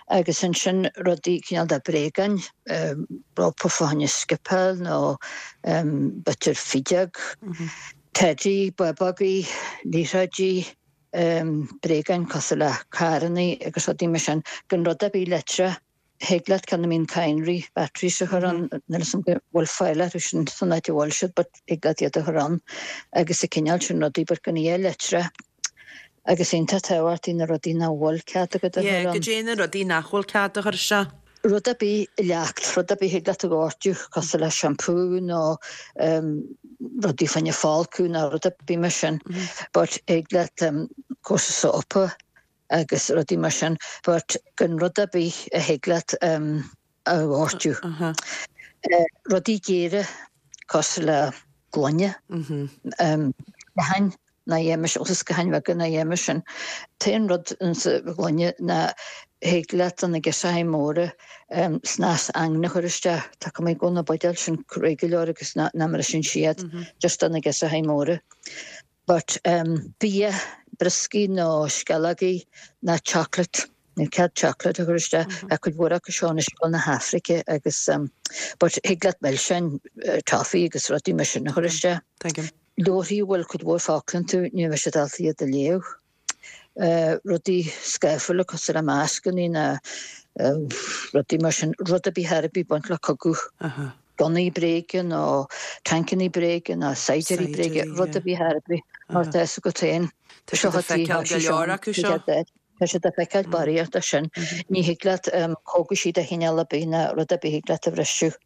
Agus ansin rudaí cineál de bréagáin, rópa fá choinne scipeáil nó b'fhéidir fideog, teidí, bábógaí, liathróidí, bréagáin cosúil le carrannaí agus rudaí mar sin, gan rud ar bith leictreach Thig leat ceann a mbíonn cadhnraí, batteries, a chur ann, níl 'fhios a'm go bhfuil fáil orthu sin san áit a bhfuil siad but thig leat iad a chur ann agus an cineál sin rudaí but gan a dhath leictreach agus iontach tábhachtach na rudaí nach bhfuil cead agat a Yeah, chur ann. Goidé na rudaí nach bhfuil cead a chur isteach? Rud ar bith leacht, rud ar bith thig leat a ghortú cosúil le shampoo nó rudaí fá choinne folcadh nó rud ar bith mar sin but thig leat cúrsa sópa agus rudaí mar sin but gan rud ar bith a thig leat a ghortú. Rudaí géara cosúil le gloine, sciatháin, ná dhéanfaidh sin, agus sciatháin bheaga ná dhéanfaidh sin. T-aon rud insa ghloine ná thig leat do na girseachaí móra snas aigne a chur isteach. Tá cuma go bhfuil na buidéil sin réidh go leor agus ná mbriseann siad just do na girseachaí móra. But bia, brioscaí nó sceallógaí ná chocolate, níl cead chocolate a chur isteach. Tá cuid mhór acu seo anois ag dul na hAfraice agus but thig leat milseáin, toffee agus rudaí mar sin a chur isteach. Tuigim. Leabharthaí a bhfuil cuid mhór focla iontu, ní bheidh siad ábalta iad a léamh. Rudaí scáfúla cosúil le mascannaí ná rudaí mar sin, rud ar bith ar bith ag baint le cogadh. Gunnaí bréige nó tancannaí bréige nó saighdiúirí bréige, rud ar bith ar bith mar tá fhios agat féin. Tá siad ag feiceáil go leor acu seo. Tá siad ag feiceáil barraíocht de sin. Ní thig leat cógaisí de chineál ar bith ná rud ar bith thig leat a bhriseadh.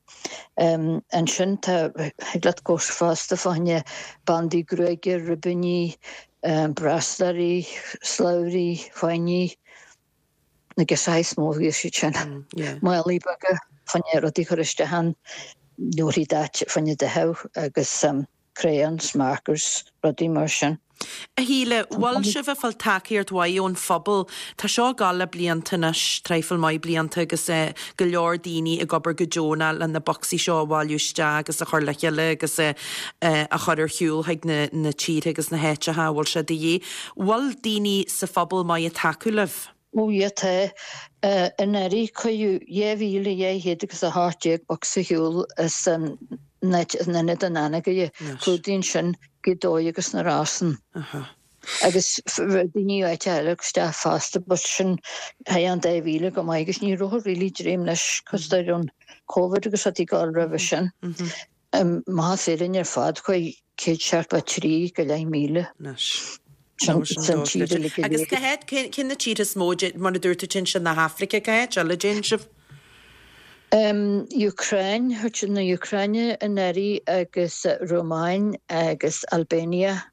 Ansin tá, thig leat cúrsa fosta fá choinne bandaí gruaige, ribíní, brásláirí, slabhraí, fáinní. Na girseachaí is mó a bhíos siad sin. Málaí beaga fá choinne rudaí a chur isteach ann, leabharthaí daite fá choinne daicheadh agus crayons, markers, rudaí mar sin. A Shíle, bhfuil sibh ag fáil tacaíocht mhaith ón phobal? Tá seo ag gabháil le blianta anois, traidhfil maith blianta agus go leor daoine ag obair go deonach le na bocsaí seo a bhailiú isteach agus a chur le chéile agus a chur ar shiúl chuig na tíortha agus na háiteacha a bhfuil sé de dhíth. Bhfuil daoine sa phobal maith ag tacú libh? Ó yeah tá. Anuraidh cuireadh dhá mhíle dhá chéad agus a hocht déag bocsa ar shiúl as an áit in Ionad an Anagaire. Clúdaíonn sin Gaoth Dobhair agus na Rosann. Agus daoine áite eile isteach fosta but sin thigh an dá mhíle go maith agus ní raibh really dréim leis cos tá an Covid agus rudaí ag gabháil roimhe sin. Amach as Éirinn ar fad chuaigh céad seachtó a trí go leith míle. Anois. Sin sin tír uilig go Agus léir. cá háit, cén cén na tíortha is mó de, mar a dúirt tú téann sé na hAfraice, cá háit eile a dtéann sibh? Um, Ukraine, chuir na Ukraine anuraidh agus Rómáin agus Albania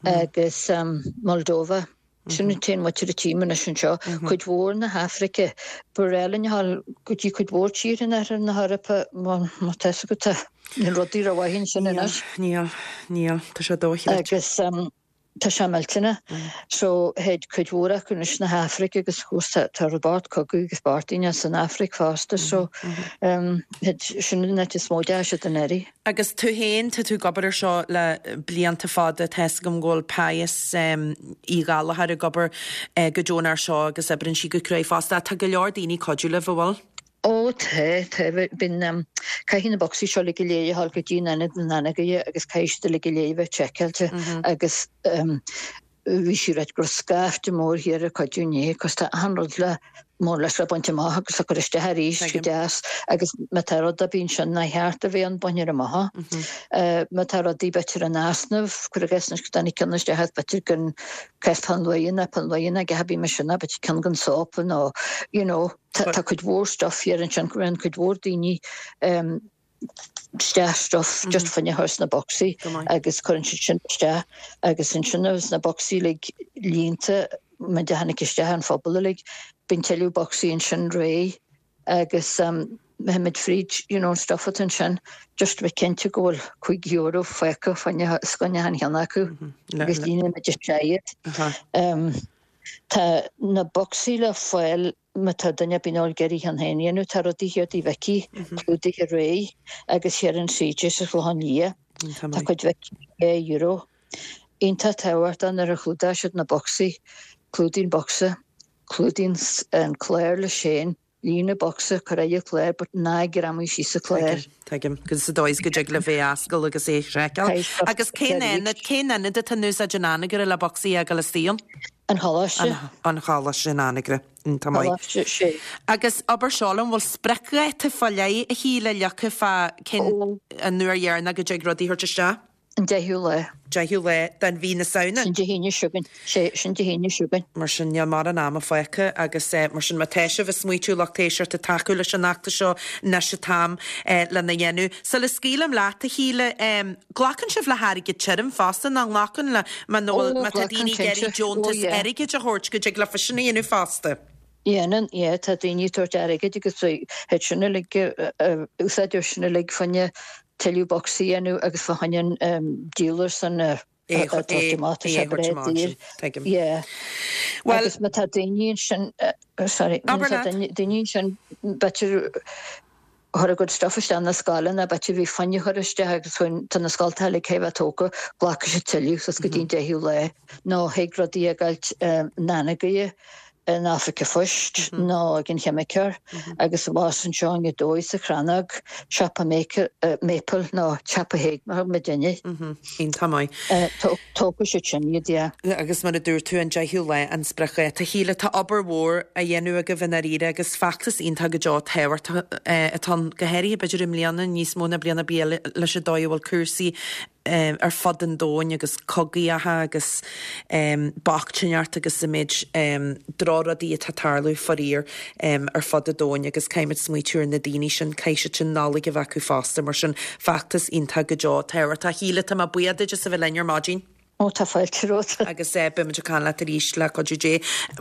agus um, Moldova. Sin an t-aon mhuintir a tchím anois anseo. Cuid mhór na hAfraice. Ba bhreá linn a ghabháil go dtí cuid mhór tíortha in oirthear na hEorpa má má tá fhios agat tá na rudaí rómhaith ansin anois. Níl, níl, tá sé dochreidte. Agus um, tá sé millteanach. So théid cuid mhór acu anois na hAfraice agus of course tá tá rud bocht cogadh agus bochtaine san Afraic fosta so um, théid sin an áit is mó a dteachaigh siad anuraidh. Agus tú féin, tá tú ag obair ar seo le blianta fada, tá fhios agam go bhfuil Pius Uí Ghallchóir ag obair go deonach ar seo agus oibríonn sí go cruaidh fosta. Tá go leor daoine ag cuidiú libh, an bhfuil? Ó tá, tá. Bíonn, caithfidh na bocsaí seo uilig go léir a ghabháil go dtí an ionad in Anagaire agus caithfidh siad uilig go léir a bheith seiceáilte agus bhí sí ag ráit go raibh scaifte mór thiar ag cuidiú inné cos tá achan rud le more or less le baint amach agus le cur isteach arís go deas agus má tá rud ar bith ansin nár cheart a bheith ann bainfear amach. Má tá rudaí b'fhéidir in easnamh, cuir i gcás anois go dtáinig ceann isteach as b'fhéidir gan cás peann luaidhe ná peann luaidhe ná a dhath ar bith mar sin ná b'fhéidir ceann gan sópa nó you know tá tá cuid mhór stuff thiar ansin cuireann cuid mhór daoine isteach stuff just fá choinne a chur sna bocsaí agus cuireann siad sin isteach agus ansin agus na bocsaí uilig líonta muid a tháinig isteach an phobal uilig bíonn tuilleadh bocsaí ansin réidh agus beimid fríd you know an stuff atá ansin just bheith cinnte go bhfuil cúig euro fágtha fá choinne os coinne achan cheann acu agus líonann muid isteach iad. Tá na bocsaí le fáil má tá duine ar bith ag iarraidh ceann féin a dhéanamh. Tá rudaí thiar Tigh Mhicí clúdaithe réidh agus thiar in CJ sa Chlochán Liath. Tá cuid Mhicí dhá euro. Iontach tábhachtach nuair a chlúdaigh siad na bocsaí, clúdaigh an bocsa, clúdaigh an clár leis féin, líon an bocsa, cuir aghaidh an clár but ná greamaigh síos an clár. Tuigim, tuigim. Agus sa dóigh is go dtig libh é a oscailt agus é a sheiceáil. Agus cén ionad, cén ionad atá in úsáid in Anagaire le bocsaí a fhágáil istigh ann? An Choláiste. An Choláiste in Anagaire. Iontach maith. Sé. Agus abair seo liom, bhfuil spriocdháta fá leith a Shíle leagtha fá cén an uair dheireanach go dtig rudaí a thabhairt isteach? An deichiú lá. Deichiú lá den mhí na Samhna. Sin Dé hAoine seo chugainn. Sé, sin Dé hAoine seo chugainn. Mar sin níl mórán ama fágtha agus mar sin má tá sibh ag smaoitiú lucht éisteachta tacú leis an fheachtas seo anois an t-am lena dhéanamh. Sula scaoilim leat a Shíle, glacann sibh le hairgead tirim fosta nach nglacann le má nó Ó, má tá glacann daoine ag iarraidh cinnte. Ó, deontas yeah. airgid a thabhairt go dtig leofa sin a dhéanamh fosta. Dhéanann, yeah, tá daoine ag tabhairt airgid agus thit sin uilig, úsáidear sin uilig fá choinne tuilleadh bocsaí a dhéanamh agus fá choinne an dealer san a É thabhairt amach, tá sé breá daor. Tuigim. Yeah. Well, Agus má tá daoine ansin, sorry, má Abair tá leat. daoine ansin b'fhéidir chuir a gcuid stuff isteach na scoileanna, b'fhéidir bhí foighne chur isteach agus chuin tá na scoltacha uilig chun bheith tógtha, glacfaidh siad tuilleadh suas go dtí an deichiú lá nó thig rudaí a ghabháilt Nanagoie in Oifig an Phoist nó ag an cheimiceoir agus abhus anseo i nDóigh sa Chrannóg, siopa Maple nó siopa Haig mar thug muidinne. Iontach maith. Tógfaidh siad sin iad, yeah. Agus mar a dúirt tú an deichiú lá an spriocdháta. Shíle, tá obair mhór á dhéanamh agaibh i ndáiríre agus feachtas iontach go deo tábhachtach atá ann, go háirithe b'fhéidir i mbliana níos mó ná bliain ar bith eile leis an dóigh a bhfuil cúrsaí ar fud an domhain agus cogaíocha agus bochtaineacht agus an méid drochrudaí atá tarlú faraor ar fud an domhain agus caithfimid smaoitiú ar na daoine sin, caithfidh siad sin Nollaig a bheith acu fosta mar sin feachtas iontach go deo tábhachtach. Shíle, tá mé buíoch duit as a bheith linn ar maidin. Ó tá fáilte romhat. Agus eh, beimid ag caint leat arís le cuidiú Dé.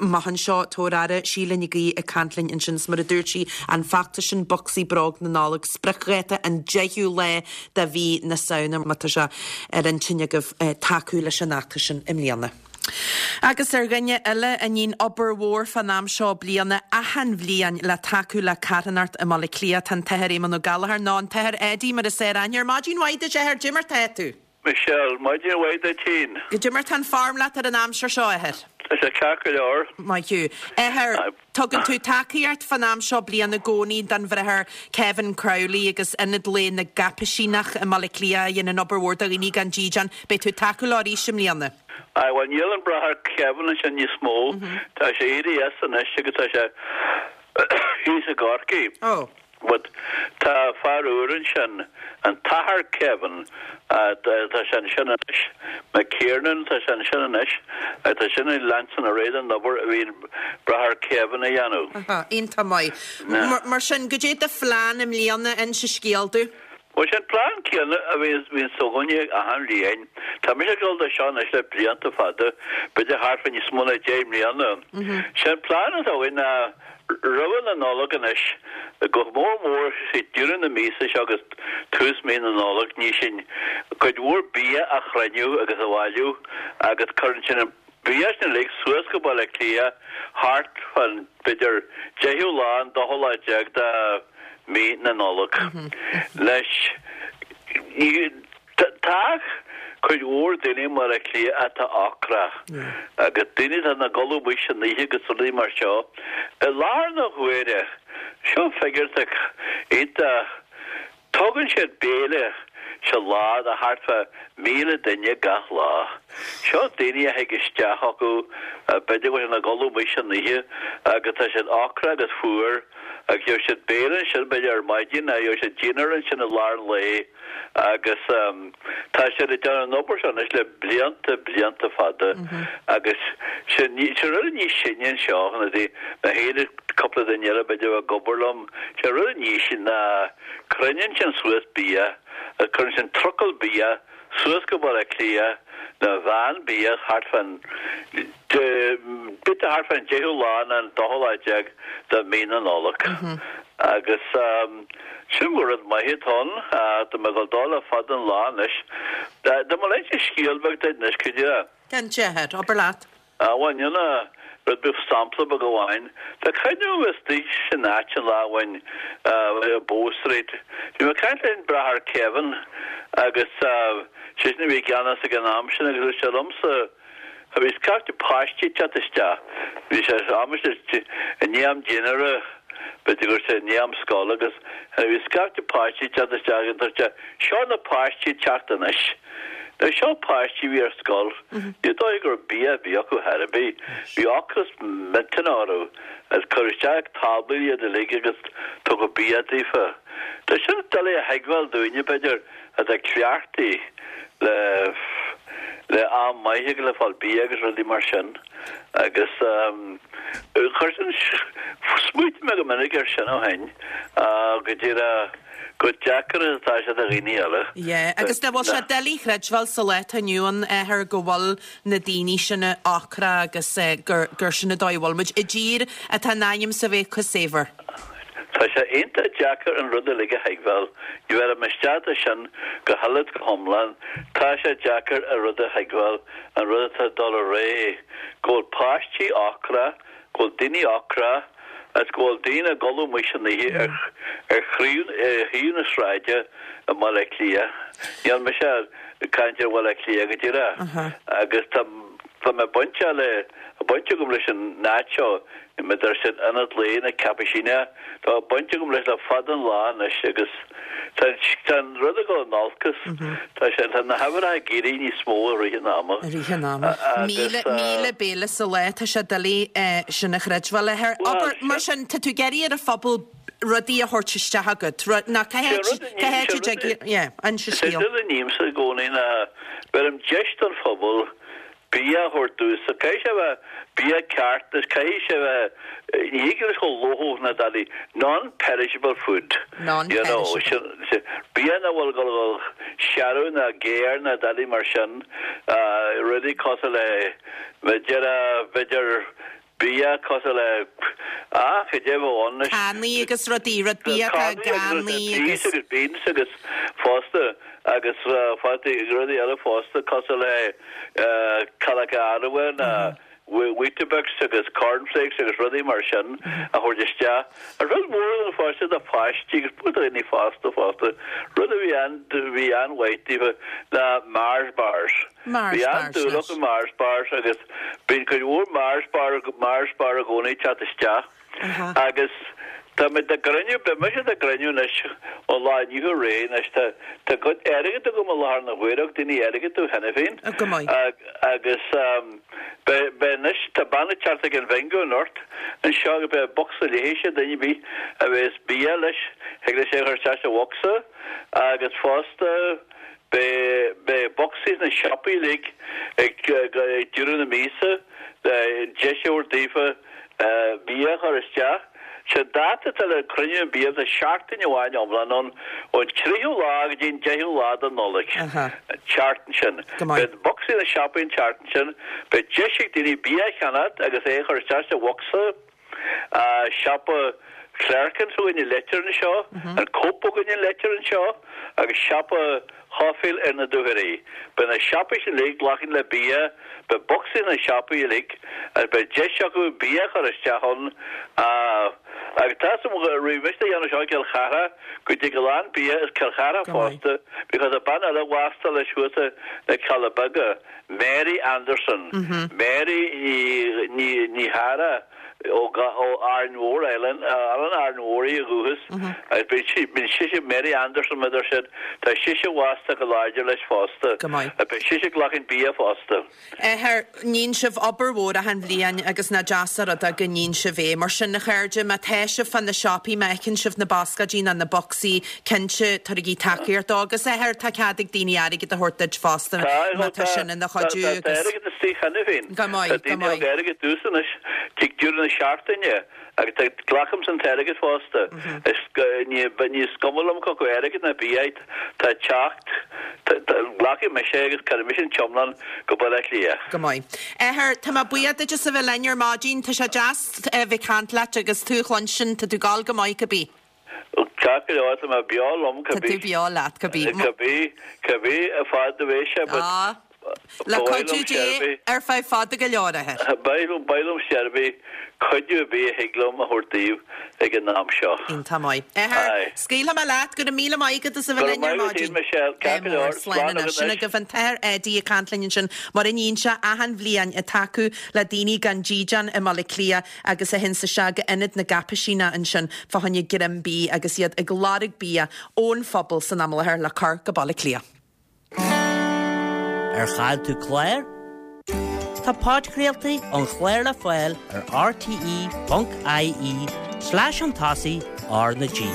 Amach anseo tabhair aire Síle Nic Aoidh ag caint linn ansin is mar a dúirt sí an feachtas sin bocsaí bróg na Nollag spriocdháta an deichiú lá de mhí na Samhna má tá sé ar intinn agaibh eh, tacú leis an fheachtas sin i mbliana. Agus ar dhuine eile a níonn obair mhór fan am seo bliana achan bhliain le tacú le carthanacht i mBaile Átha Cliath tá an tAthair Éamonn Ó Gallchóir nó an tAthair Eddie mar is fearr aithne air. Maidin mhaith duit a Athair, Goidé mar tá tú. Michelle, maidin mhaith duit féin. Goidé mar tá an form leat ar an aimsir seo a Athair. Tá sé ceart go leor. Maith thú. Athair, tugann tú tacaíocht fan am seo bliana i gcónaí don Bhráthair Kevin Crowley agus Ionad Lae na gCaipisíneach i mBaile Átha Cliath a dhéanann obair mhór do dhaoine gan dídean. Beidh tú tacú leo arís i mbliana. Á bhuel níl an Bráthair Kevin ansin níos mó. Tá sé éirithe as anois agus tá sé thíos i gCorcaigh. Oh. But tá fear úr ansin, an tAthair Kevin, tá sé ansin anois, McKiernan tá sé ansin anois, tá sin ag leanstan ar aghaidh an obair a bhí an Bráthair Kevin a dhéanamh. Aha, iontach maith. Mar sin, goidé do phlean i mbliana inis an scéal domh. Bhuel sin plean céanna a bhíonn againne achan bhliain. Tá mise ag dul do seo anois le blianta fada, b'fhéidir thart fá níos mó ná deich mbliana. Sin plean atá againn ná roimhe na Nollag anois, go mór mór sé deireadh na míosa seo agus tús mí na Nollag, ní sin cuid mhór bia a chruinniú agus a bhailiú agus cuireann sin an bia sin uilig suas go Baile Átha Cliath thart fan b'fhéidir deichiú lá an dóú lá déag de mí na Nollag. Leis tá cuid mhór daoine i mBaile Átha Cliath atá ocrach agus daoine atá ina gcodladh amuigh san oíche agus rudaí mar seo. I láthair na huaire, seo figiúr atá iontach, tugann siad béile sa lá do thart fá míle duine gach lá. Seo daoine a thig isteach acu, b'fhéidir go bhfuil siad ina gcodladh amuigh san oíche agus tá siad ocrach agus fuar agus gheobhaidh siad béile ansin b'fhéidir ar maidin nó gheobhaidh siad dinnéar ansin i lár an lae agus tá siad ag déanamh an obair seo anois le blianta, blianta fada agus sin rud níos sine anseo ná mé féin agus cúpla duine eile b'fhéidir ag obair liom, sé rud níos sine ná cruinníonn sin suas bia agus cuireann sin trucail bia suas go Baile Átha Cliath nó veain bia thart fán b'fhéidir thart fán deichiú lá nó an dóú lá déag de mhí na Nollag. Agus sin go rud maith atá ann, tá mé ag dul dó le fada an lá anois. Dá mba leat scéal beag duit anois, could you? Cinnte, a Athair, abair leat. Á, bhuel, níl rud beag sampla beag amháin. Tá cuimhne agam istigh san áit an lá amháin i Bow Street. Bhí mé ag caint leis an Bráthair Kevin agus seisean a bhí i gceannas ag an am sin agus dúirt sé liomsa, bhí scaifte páistí ag teacht isteach. Bhí sé aimsir i ndiaidh am dinnéara, b'fhéidir go raibh sé i ndiaidh am scoile agus bhí scaifte páistí ag teacht isteach agus dúirt sé, seo na páistí ag teacht anois. Now seo páistí a bhí ar scoil, ní dóigh go raibh bia ar bith acu chor ar bith. Bhí ocras millteanach orthu agus cuireadh isteach ag táblaí iad uilig agus tugadh bia daofa. Tá sin doiligh a thuigbheáil dúinne, b'fhéidir, atá cleachtaithe le le am maith agus le fáil bia agus rudaí mar sin. Agus chuir sin, smaoitigh mé go minic air sin ó shin, go díreach chomh deacair is atá sé do dhaoine eile. Yeah, agus nach bhfuil sé doiligh a chreidbheáil sa lá atá inniu ann, a Athair, go bhfuil na daoine sin ocrach agus gur gur sin an dóigh a bhfuil muid i dtír atá in ainm is a bheith chomh saibhir. Tá sé iontach deacair an rud uilig a thuigbheáil. Ní bheirim isteach de sin go huile is go hiomlán. Tá sé deacair an rud a thuigbheáil, an rud atá ag dul ar aghaidh, go bhfuil páistí ocrach, go bhfuil daoine ocrach agus go bhfuil daoine ag codladh amuigh san oíche ar ar thaobh na sráide i mBaile Átha Cliath. Níl mise ag caint ar Bhaile Átha Cliath go díreach agus tá tá mé bainte le baint agam leis an áit seo, maidir sin Ionad Lae na Caipisíneach, tá baint agam leis le fada an lá anois agus tá tá an rud ag dul in olcas, tá sé tá na huimhreacha ag éirí níos mó i rith an ama. I rith an ama. Míle míle béile sa lá, tá sé doiligh sin a chreidbheáil. A Athair, abair, mar sin, tá tú ag iarraidh ar an phobal rudaí a thabhairt isteach agat, rud, ná cá háit, cá háit a dtig, yeah, inis an Sé scéal. rud a nímse i gcónaí ná beirim deis don phobal bia a thabhairt domhsa. Caithfidh sé a bheith bia ceart is caithfidh sé a bheith, ní thig leis chomh lóthódh na dadaí, non-perishable food. You know, Non-perishable. sin, bia nach bhfuil ag dul a dhul searbh ná géar ná dadaí mar sin, rudaí cosúil le, b'fhéidir, b'fhéidir bia cosúil le, ah, cad é a bheadh ann anois? Cannaí agus rudaí, rud bia atá Cannaí agus gannaí peas agus. agus beans agus fosta agus fataí rudaí eile fosta cosúil le cailleacha arbhair ná Weetabix agus cornflakes agus rudaí mar sin a thabhairt isteach. An rud mór don pháiste do pháistí agus do dhaoine fásta fosta, rud a bhí an bhí an-mhaith daofa ná Mars bars. Mars Bhí bars an-dúil leis. acu Mars bars agus bíonn cuid mhór Mars bar Mars bar i gcónaí ag teacht isteach. Aha. Agus tá mé dá gcruinniú, beidh mise dá gcruinniú anois ón lá inniu ar aghaidh anois, tá tá cuid airgid agam i láthair na huaire, thug daoine airgead domh cheana féin. Oh, go maith. Agus beidh beidh anois, tá bean ag teacht ag an bhingo anocht anseo agus beidh bocsa léithe, duine ar bith a bheas bia leis, thig leis é a chur isteach sa bhocsa agus fosta beidh beidh bocsaí sna siopaí uilig ag ag deireadh na míosa le deis a thabhairt daofa bia a chur isteach. Sé an dáta atá le cruinniú an bia, tá seachtain amháin iomlán ann, ón tríú lá go dtí an deichiú lá de Nollaig, an tseachtain sin. Go maith. Beidh bocsaí sna siopaí an tseachtain sin. Beidh deis ag daoine bia a cheannacht agus é a chur isteach sa bhocsa. Siopa Clerkin s'againne i Leitir anseo, an Cope againne i Leitir anseo agus siopa Chaufíl ar na Dúchoraidh. Beidh na siopaí sin uilig glactha le bia, beidh bocsaí sna siopaí uilig agus beidh deis acu bia a chur isteach ann. Agus tá 'fhios a'm raibh mise a dhéanamh seo i gCill Chartha go dtig a lán bia as Cill Chartha fosta because tá bean eile bhásta leis thuas na Cealla Beaga, Mary Anderson, Mary Ní Ní Ní Chearra. ó Árainn Mhór Island, Oileán Árainn Mhór í ó dhúchas, agus bíonn sí, bíonn sise, Mary Anderson mar a deir siad, tá sise bhásta go láidir leis fosta, Go maith. agus beidh sise ag glacadh bia fosta. Athair, níonn sibh obair mhór achan bhliain agus nach deas an rud é go níonn sibh é. Mar sin, a chairde, má tá sibh fá na siopaí, má fheiceann sibh na bascáidí ná na bocsaí, cinnte, tabhairigí tacaíocht dó. Agus, athair, tá cead ag daoine airgead a thabhairt duit fosta Tá, má tá tá, sin ina tá, chuidiú tá, tá agus. airgead istigh cheana féin. Go maith, Tá go daoine a maith. thug airgead domhsa anois, tig deireadh na seachtaine agus tá glacaimse an t-airgead fosta. Is ní ní is cuma liom cé acu airgead ná bia tá ag teacht, glacfaidh mise é agus cuirfidh mise an t-iomlán go Baile Átha Cliath. Go maith. Athair, tá mé buíoch duit as a bheith linn ar maidin. Tá sé deas a bheith ag caint leat agus tú a chluinstin, tá tú ag gabháil go maith cibé. Ceart go leor, tá mé beo liom Tá tú cibé. beo leat cibé. Cibé, cibé fad a bheidh sé but Ah. Le Ba mhaith cuidiú liom Dé seirbhís. ar feadh fada go leor, a Athair. Ba mhaith liom seirbhís, cuidiú ar bith a thig liom a thabhairt daoibh ag an am seo. Iontach maith. A Athair, Aye. scaoilfidh mé leat, go raibh míle maith agat as a Go bheith raibh linn ar maith agat maidin. féin, Michelle. Ceart Ádh go mór, leor. slán Slán anois. agat Sin anois. agaibh an tAthair Eddie ag caint linn ansin, mar a níonn sé achan bhliain ag tacú le daoine gan dídean i mBaile Átha Cliath agus a théann isteach go Ionad na gCaipisíneach ansin fá choinne greim bídh agus iad ag lorg bia ón phobal san am i láthair le cur go Baile Átha Cliath. Ar chaill tú clár? Tá podchraoltaí an chláir le fáil ar rte ponc ie slash chun tosaigh R na G.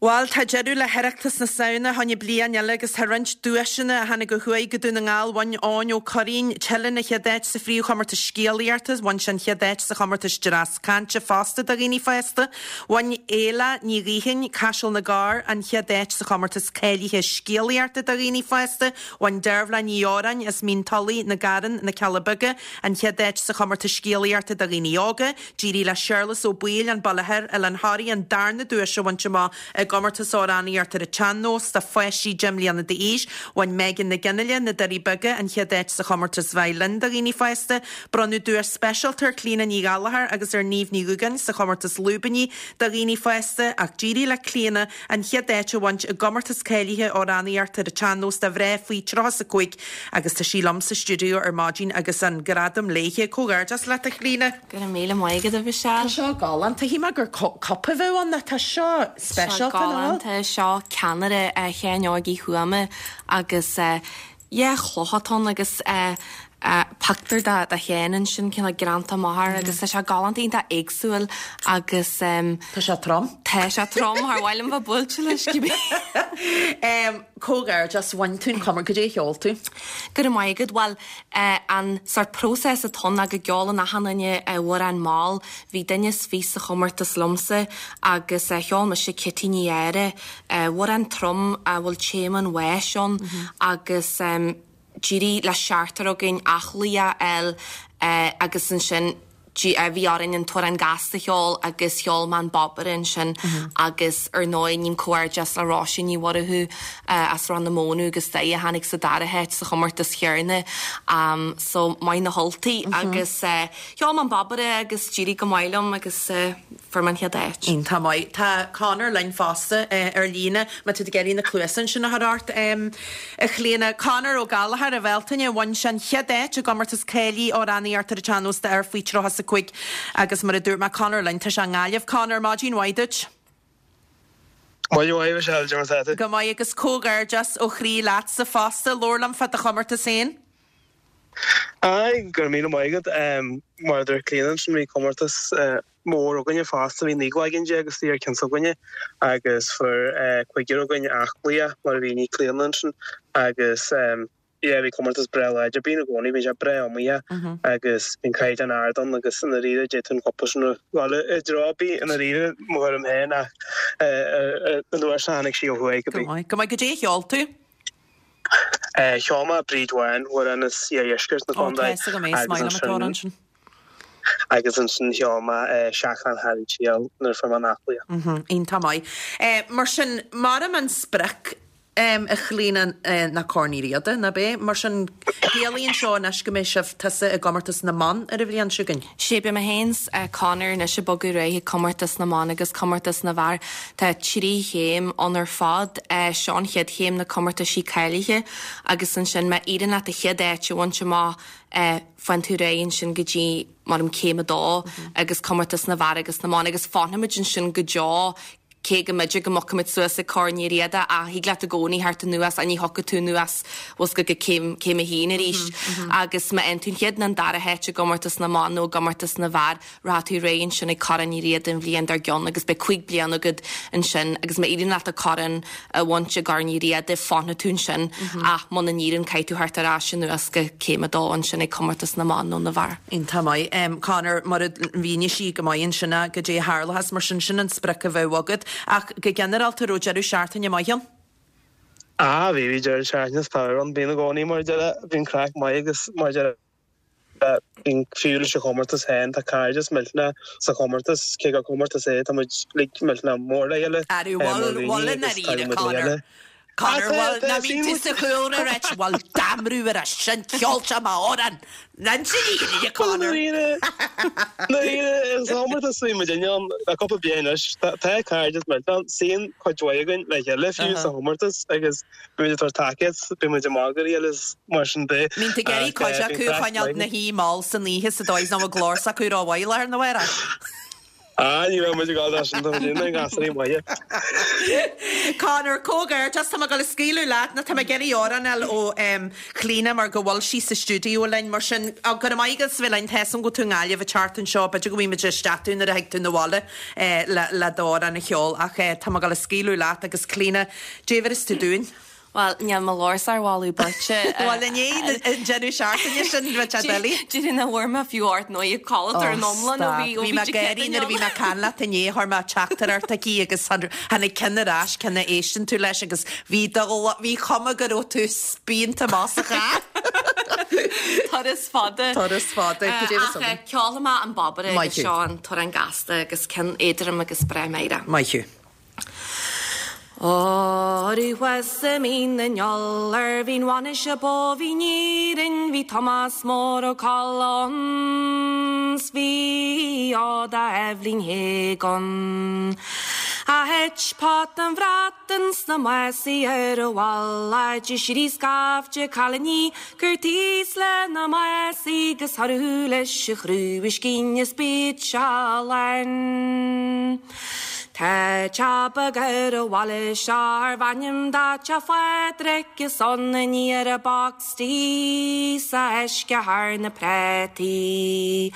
Bhuel, tá deireadh le hOireachtas na Samhna, tháinig bliain eile agus tá roinnt duaiseanna a tháinig ó thuaidh go Dún na nGall. Bhain Eoin Ó Curraoin, Teileann an chéad áit sa phríomhchomórtas scéalaíochta, bhain sé an chéad áit sa chomórtas dreas cainte fosta do dhaoine fásta. Bhain Éile Ní Ghaoithin, Caiseal na gCorr, an chéad áit sa chomórtas cáilithe scéalaíochta do dhaoine fásta. Bhain Dearbhla Ní Odhráin as Mín Tulaigh, na Garran, na Cealla Beaga, an chéad áit sa chomórtas scéalaíochta do dhaoine óga. D'éirigh le Séarlas Ó Baoill, An Baile Thoir, Oileán Thoraí, an darna duais a bhaint amach i gcomórtas amhránaíochta ar an tsean-nós do pháistí deich mbliana d'aois. Bhain Megan Nic Fhionnghaile, Na Doirí Beaga, an chéad áit sa chomórtas veidhlin do dhaoine fásta. Bronnadh duais speisialta ar Chlíona Ní Ghallchóir agus ar Niamh Ní Dhúgáin sa chomórtas lúibíní do dhaoine fásta ach d'éirigh le Clíona an chéad áit a bhaint i gcomórtas cáilithe amhránaíochta ar an tsean-nós do mhná faoi tríocha is a cúig agus tá sí liom sa stiúideo ar maidin agus an gradam léithe. Comhghairdeas leat a Chlíona. Go raibh míle maith agat a Mhichelle. Tá seo galánta. Shíl mé gur cupa a bheadh ann ach tá seo speisialta ná? Galánta. Seo ceannaire Sheáin Óig Uí Thuama agus yeah cloch atá ann agus pictiúr de Sheán ansin cineál greanta amach air agus tá sé galánta iontach éagsúil agus Tá sé trom. Tá sé trom thar mhaith liom bheith buailte leis cibé. Comhghairdeas, bhain tú an comór, goidé a cheol tú? Go raibh maith agat. Bhuel, an sort próiseas atá ann ná go gceolann achan duine amhrán mall. Bhí duine is fiche sa chomórtas liomsa agus cheol mise Cití Ní Eadhra, amhrán trom a bhfuil téama an bháis ann agus d'éirigh le seachtar againn aclaí a fháil agus ansin bhí orainn an t-amhrán gasta a cheol agus cheol mé an Bobaire ansin agus ar ndóigh ním comhghairdeas le Róisín Ní Mhurchú as Ráth na Mónadh agus Doire a tháinig sa dara háit sa chomórtas chéanna so maith na hUltaigh agus cheol mé an Bobaire agus d'éirigh go maith liom agus fuair mé an chéad áit. Iontach maith. Tá Conor linn fosta ar líne má tá tú ag iarraidh na cluasa ansin a chur ort a Chlíona. Conor Ó Gallchóir a Bhealtaine, bhain sé an chéad áit i gcomórtas cáilithe amhránaíochta ar an tsean-nós d'fhir faoi tríocha is a cúig agus mar a dúirt mé Conor linn, tá sé i nGaillimh. Conor, maidin mhaith duit. Maidin mhaith Michelle, cad é mar atá tú? Go maith agus comhghairdeas ó chroí leatsa fosta. Labhair liom fá do chomórtas féin. Aye, go raibh míle maith agat. Mar a dúirt Clíona ansin bhí comórtas mór againne fosta, bhí naoi gcloigeann déag istigh ar cionn s'againne agus fuair cúigear againn aclaíocht mar a mhínigh Clíona ansin agus yeah bhí comórtas breá láidir, bíonn i gcónaí, bíonn sé breá iomaíoch agus bíonn caighdeán ard ann agus i ndáiríre d'fhéadfadh an cúpla sin a dhul i dtreo ar bith i ndáiríre mo thuairim féin ach an uair seo tháinig sí ó thuaidh go maith. Go maith, goidé a cheol tú? Cheol mé Bríd Bhán, amhrán as iardheisceart na Ó, contae tá fhios agam é, is agus maith liom an t-amhrán ansin sin. agus ansin cheol mé Seachrán Harry Triail nuair a fuair mé an aclaíocht. Mhm, iontach maith. Mar sin, maram an sprioc a Chlíona ná Corn Uí Riada, ná b'é? Mar sin, ciallaíonn seo anois go mbeidh sibh tusa i gcomórtas na mban ar an bhliain seo chugainn? Sé, beidh mé féin 's Conor anois ag bogadh ar aghaidh chuig comórtas na mban agus comórtas na bhfear. Tá trí chéim ann ar fad. Seo an chéad chéim, na comórtaisí cáilithe agus ansin má éiríonn leat an chéad áit a bhaint amach faigheann tú ar aghaidh ansin go dtí mar an céim a dó agus comórtas na bhfear agus na mban agus fanfaimid ansin go deo cé go mb'fhéidir go mbogfaimid suas ag Corn Uí Riada ach thig leat i gcónaí theacht anuas ach ní thiocfaidh tú anuas bhfuil 's go go céim céim a haon arís agus má fhaigheann tú an chéad nó an dara háit i gcomórtas na mban nó i gcomórtas na bhfear rachaidh tú ar aghaidh ansin ag Corn Uí Riada an bhliain dár gcionn agus beidh cúig bliana agat ansin agus má éiríonn leat an corn a bhaint i gCorn Uí Riada fanfaidh tú ansin ach muna n-éiríonn caithfidh tú theacht ar ais anuas go céim a dó ansin ag comórtas na mban nó na bhfear. Iontach maith. Conor, mar a mhínigh sí go maith ansin goidé a tharlóchas mar sin, sin an sprioc a bheadh agat. Ach go ginearálta, raibh deireadh seachtaine maith ann? Ah, bhí, bhí deireadh seachtaine is fearr ann. Bíonn i gcónaí mar a déarfá, bíonn craic maith agus mar a déarfá, bíonn fiú leis an chomórtas féin, tá cairdeas millteanach sa chomórtas, cé gur comórtas é, tá muid uilig millteanach mór le chéile Arú, mar bhfuil, dhaoine bhfuil i agus ndáiríre, tagann muid le Conor? chéile. Conor, Ah, tá, bhfuil, tá, ná bíonn tú sa chúlra ag ráit, bhfuil damrú ar a sin, cheol sé m'amhrán! Inis an fhírinne, Conor! Nuair a chomórtas bhí muid ann le cúpla bliain anois, tá cairdeas millteanach ann, suíonn cuid mhaith againn le chéile fiú sa chomórtas agus bíonn muid ag tabhairt tacaíocht, bíonn muid ag magadh ar a chéile is mar sin de. Mbíonn tú ag iarraidh Ach cuid bíonn acu a craic choinneáil maith ina againn. shuí mall san oíche sa dóigh is nach bhfuil glór s'acu rómhaith láthair na huaire. Ah, ní raibh muid ag gabháil sin tá muid ina ngasúirí maithe. Conor comhghairdeas tá mé ag gabháil a scaoileadh leat nó tá mé ag iarraidh amhrán a fháil ó um, Chlíona mar go bhfuil sí sa stiúideo linn mar sin go raibh maith agat as bheith linn tá a fhios agam go bhfuil tú i nGaillimh an tseachtain seo b'fhéidir go bhfaighidh muid isteach tú nuair a thig tú na bhaile eh, le, le d'amhrán a cheol ach eh, tá mé ag gabháil a scaoileadh leat agus Clíona, dé bhris tú dúinn. Well, níl mo ghlór sár mholadh beirte. Well inné an deireadh seachtaine sin bhí sé doiligh. Dúinn a bhfuair mé fiú ort nó ag codladh ar an iomlán ó bhí Bhí mé gáirí nuair a bhí mé caint leat inné chuir mé teachtaireacht aici agus tháinig ceann ar ais ceann a éistean tú leis agus bhí bhí cuma go raibh tú spíonta amach sa charr. Turas fada. Turas fada. Ach ceolfaidh mé an Bobaire agus seo an t-amhrán gasta agus ceann éadrom agus breá meidhreach. Maith thú. Arú thuas i Mín na nIolar bhí'n bhainis a ba bhí Éirinn bhí Tomás Mór Ó Colla ann 's bhí Oda Eibhlín Héagon. A thit pot an bhratan sna másaí ar a bhalla de sí scaifte cailíní gur tíos le na másaí gus tharú leis a chrúiscín is bíd sealan. Tá teach beag ar an bhaile seo arbh ainm dó Teach Phádraig is ann a níor a boxtaí sa uisce thar na préataí.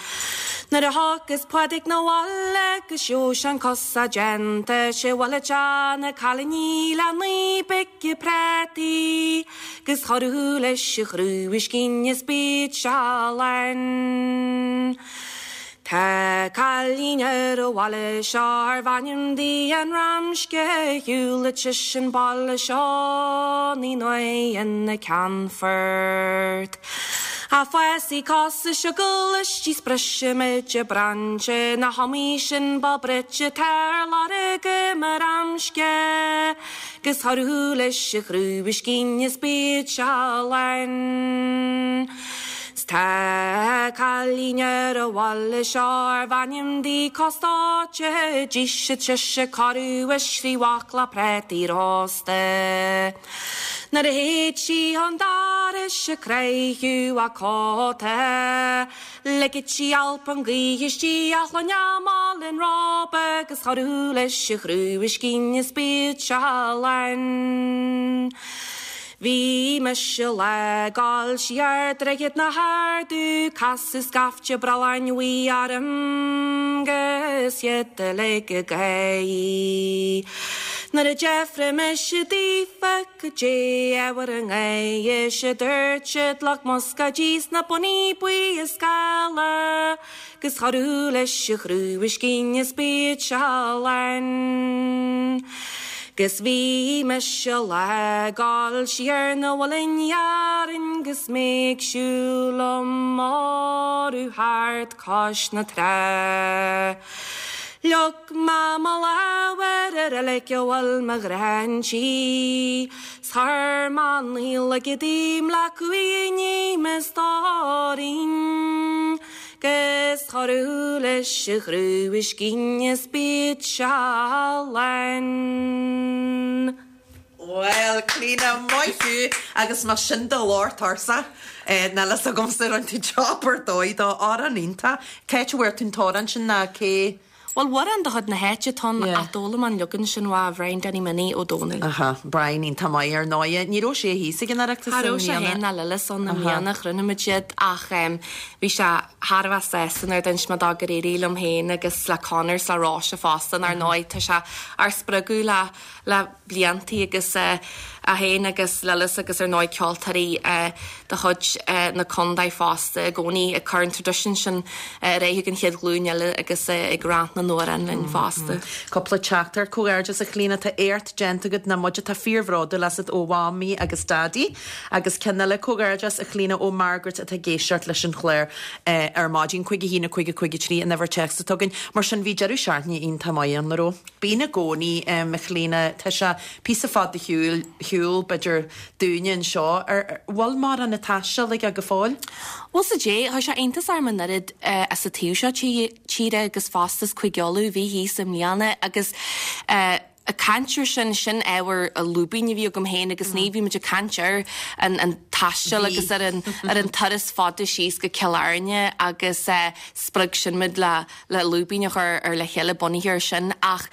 Nuair a thiocfas Pádraig na bhaile gus gheobhaidh sé an cosa déanta sé bhaile teach na cailíní le naoi bpice préataí, gus chorthú leis a chrúiscín is bíd sealan. Tá cailín ar an bhaile seo arbh ainm di an Ramsce shiúlfadh sise an baile seo naoi n-uair ina ceannfort. A fásaí cosa seo leis brisfimid an brainse na hamaí sin ba bruite tar lorg mar Ramsce, gus tharú leis a chrúiscín is bíd sealan. Tá cailín ar an bhaile seo arbh ainm di Costáite d'íosfadh sise corradh is trí bhaicle préataí rósta. Nuair a théid sí chun dorais ag croitheadh a cóta, Ligid sí alp an ghaoth istigh a shloinne an róba agus chorú leis a chrúiscín is bíd sealan. Bhí mise le gabháil siar Droichead na hArdú casadh scaifte brealláin bhuí orm gus iad uilig ag gáirí. Nuair a d'fhiafraigh mise daofa cad é ábhar a ngáire is dúirt siad lucht muscaidí sna bonnaí buí is geala, gus chorú leis a chrúiscín is bíd sealan. Gus bhí mise le gabháil siar na bhfuil Dhearn gus mé ag siúl liom orú thart cois na trá. Leag mé mo lámh ar an reilig a bhfuil mo ghráintí, 's chuir mé an Ghaeilge díom le cumhaidh i ndiaidh mo stóirín. Gus chorú leis a chrúiscín is bíd sealan. Well, Clíona maith thú agus mar sin do lár tarsa níl a fhios agamsa an tú job ar dóigh dó amhrán iontach. Cé bhfuair tú an t-amhrán sin ná cé? Well, amhrán de chuid na háite atá ann ach d'fhoghlaim an leagan sin uaidh Bhrian Danny Minnie Ó Dónaill. Aha, Brian iontach maith ar ndóigh. Ní raibh sé thíos ag an Oireachtas Cha raibh sé féin ná Lillis ann i mbliana chruinnigh muid iad ach bhí sé thar a bheith sásta nuair a d'inis mé dó gur éirigh liom féin agus le Conor is le Róise fosta ar ndóigh tá sé ár spreagadh le le bliantaí agus é féin agus Lillis agus ar ndóigh ceoltóirí de chuid na contae fosta i gcónaí ag cur an traidisiún sin ar aghaidh an chéad ghlúin eile agus ag roinnt na n-amhrán linn fosta. Cúpla teachtaireacht comhghairdeas a Chlíona tá éacht déanta agat na muid atá fíorbhródúil asat ó Mhamaí agus Daidí agus ceann eile comhghairdeas a Chlíona ó Margaret atá ag éisteacht leis an chlár ar maidin cúig a haon cúig a cúig a trí an uimhir téacs atá againn. Mar sin bhí deireadh seachtaine iontach maith ann, an raibh. Bíonn i gcónaí a Chlíona tá sé píosa fada shiúil shiúl b'fhéidir dúinne anseo ar bhfuil mórán ag taisteal aige go fóill? Bhuel sa dé, tá sé iontach orm an oiread as an taobh seo tíre agus fosta is Cúige Uladh bhí thíos i mbliana agus Ag caint ar sin, sin ábhar lúibín a bhí agam féin agus ní bhí muid ag caint ar an an taisteal agus ar an ar an turas fada síos go Cill Airne agus spreag sin muid le le lúibín a chur ar le chéile bunaithe ar sin ach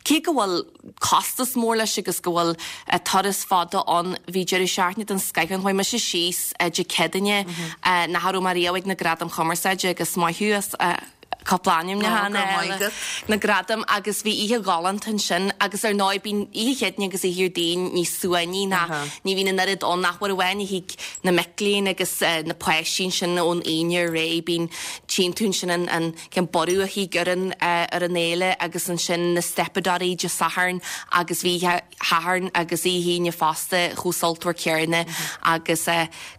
cé go bhfuil costas mór leis agus go bhfuil turas fada ann bhí deireadh seachtaine den scoith ann. Chuaigh mise síos Dé Céadaoine nach raibh mé riamh ag na Gradaim Chumarsáide agus maith thú as cúpla ainmniúchán eile, na gradaim agus bhí oíche ghalánta ansin agus ar ndóigh bíonn oíche Chéadaoine agus oíche Dhéardaoin níos suaimhní ná ní bhíonn an oiread ann ach uair amháin a thig na mic léinn agus na páistí ansin ón Aoine ar aghaidh bíonn tchíonn tú ansin an an cén borradh a thig ar an ar an fhéile agus ansin na steipeadóirí Dé Sathairn agus bhí oíche Shathairn agus oíche Aoine fosta chomh sultmhar céanna agus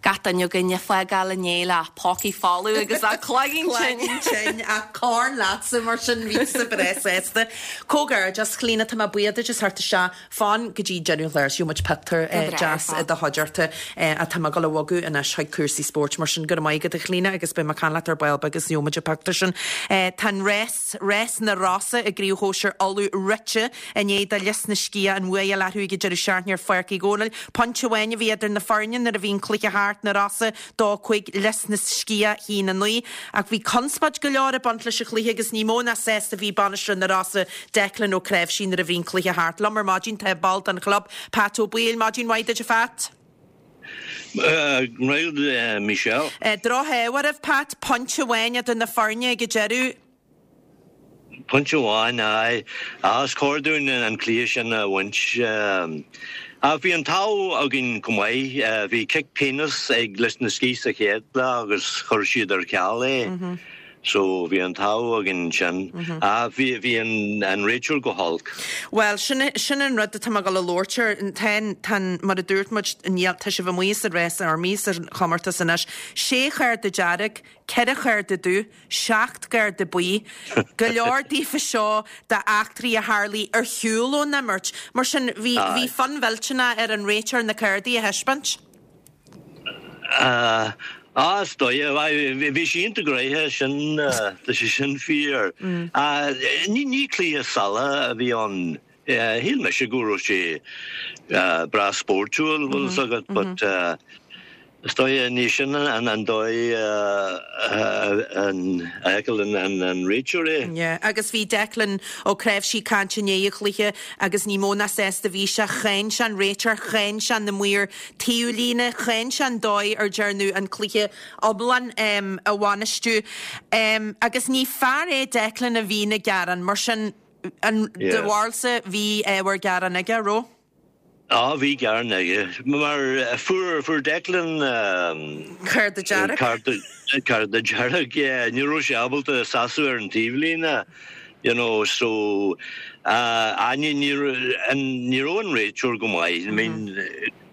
gach duine againn ag fágáil inné le pócaí folamh agus a cloigeann tinn. Cloigeann tinn ach corn leatsa mar sin bhí tusa breá sásta. Comhghairdeas, Clíona, tá mé buíoch duit as theacht isteach. Fan go dtí deireadh an chláir is gheobhaidh muid pictiúr deas i do chuideachta ach tá mé ag dul a bhogadh anois chuig cúrsaí spóirt mar sin go raibh maith agat a Chlíona agus beidh mé ag caint leat ar ball beag agus gheobhaidh muid an pictiúr sin. Tá an rás, rás na Rosa i gCraobh Shóisir Uladh rite i ndiaidh do Lios na Sciath an bhua a fháil orthu ag an deireadh seachtaine ar Pháirc Uí Dhónaill. Pointe amháin a bhí idir na foirne nuair a bhí an cluiche thart, na Rosa dó cúig, Lios na Sciath haon a naoi. Ach bhí conspóid go leor ag baint leis an chluiche agus ní mó ná sásta a bhí bainisteoir na Rosa, Declan Ó Cnáimhsí nuair a bhí an cluiche thart. Liom ar maidin tá ball den chlub, Pat Ó Baoill. Maidin mhaith duit a Phat. Maith agat Michelle. Drochádh oraibh Pat, pointe amháin idir na foirne ag an deireadh. Pointe amháin, aye. Is cóir dúinn an cluiche sin a bhaint. Ach bhí an t-ádh againn go maith. Bhí cic pionóis ag Lios na Sciath sa chéad leath agus chuir siad ar ceal é. So bhí an t-ádh againn ansin. Ach bhí bhí an an réiteoir go holc. Bhuel, sin sin an rud atá mé ag dul a labhairt air. Tá an tá an mar a dúirt muid, níl tá sibh amuigh sa rás amuigh sa chomórtas anois. Sé chárta dearg, ceithre chárta dubh, seacht gcárta buí, go leor daofa seo d'eachtraí a tharlaigh ar shiúl ón imirt. Mar sin, bhí bhí fonn mhillteanach ar an réiteoir na cártaí a thaispeáint. Ah, is dóigh, bhí sé iontach gnoitheach, sin, tá sé sin fíor. Ní ní cluiche salach a bhí ann. Shíl mise go raibh sé breá spórtúil, bhfuil fhios agat, but is dóigh ní sin an dóigh a fheiceann an réiteoir é. Yeah, agus bhí Declan Ó Cnáimhsí ag caint i ndiaidh an chluiche agus ní mó ná sásta a bhí sé. Cháin sé an réiteoir, cháin sé na maoir taobhlíne, cháin sé an dóigh ar dearnadh an cluiche iomlán a bhainistiú. Agus ní fear é Declan a bhíonn ag gearán, mar sin, an, do bharúilsa bhí ábhar gearáin aige, raibh? Á, bhí gearán aige. Mar fuair, fuair Declan Cárta dearg. Cárta, cárta dearg, yeah. Ní raibh sé ábalta seasamh ar an taobhlíne, you know, so, ah, ní, ní, ní raibh an réiteoir go maith. I mean,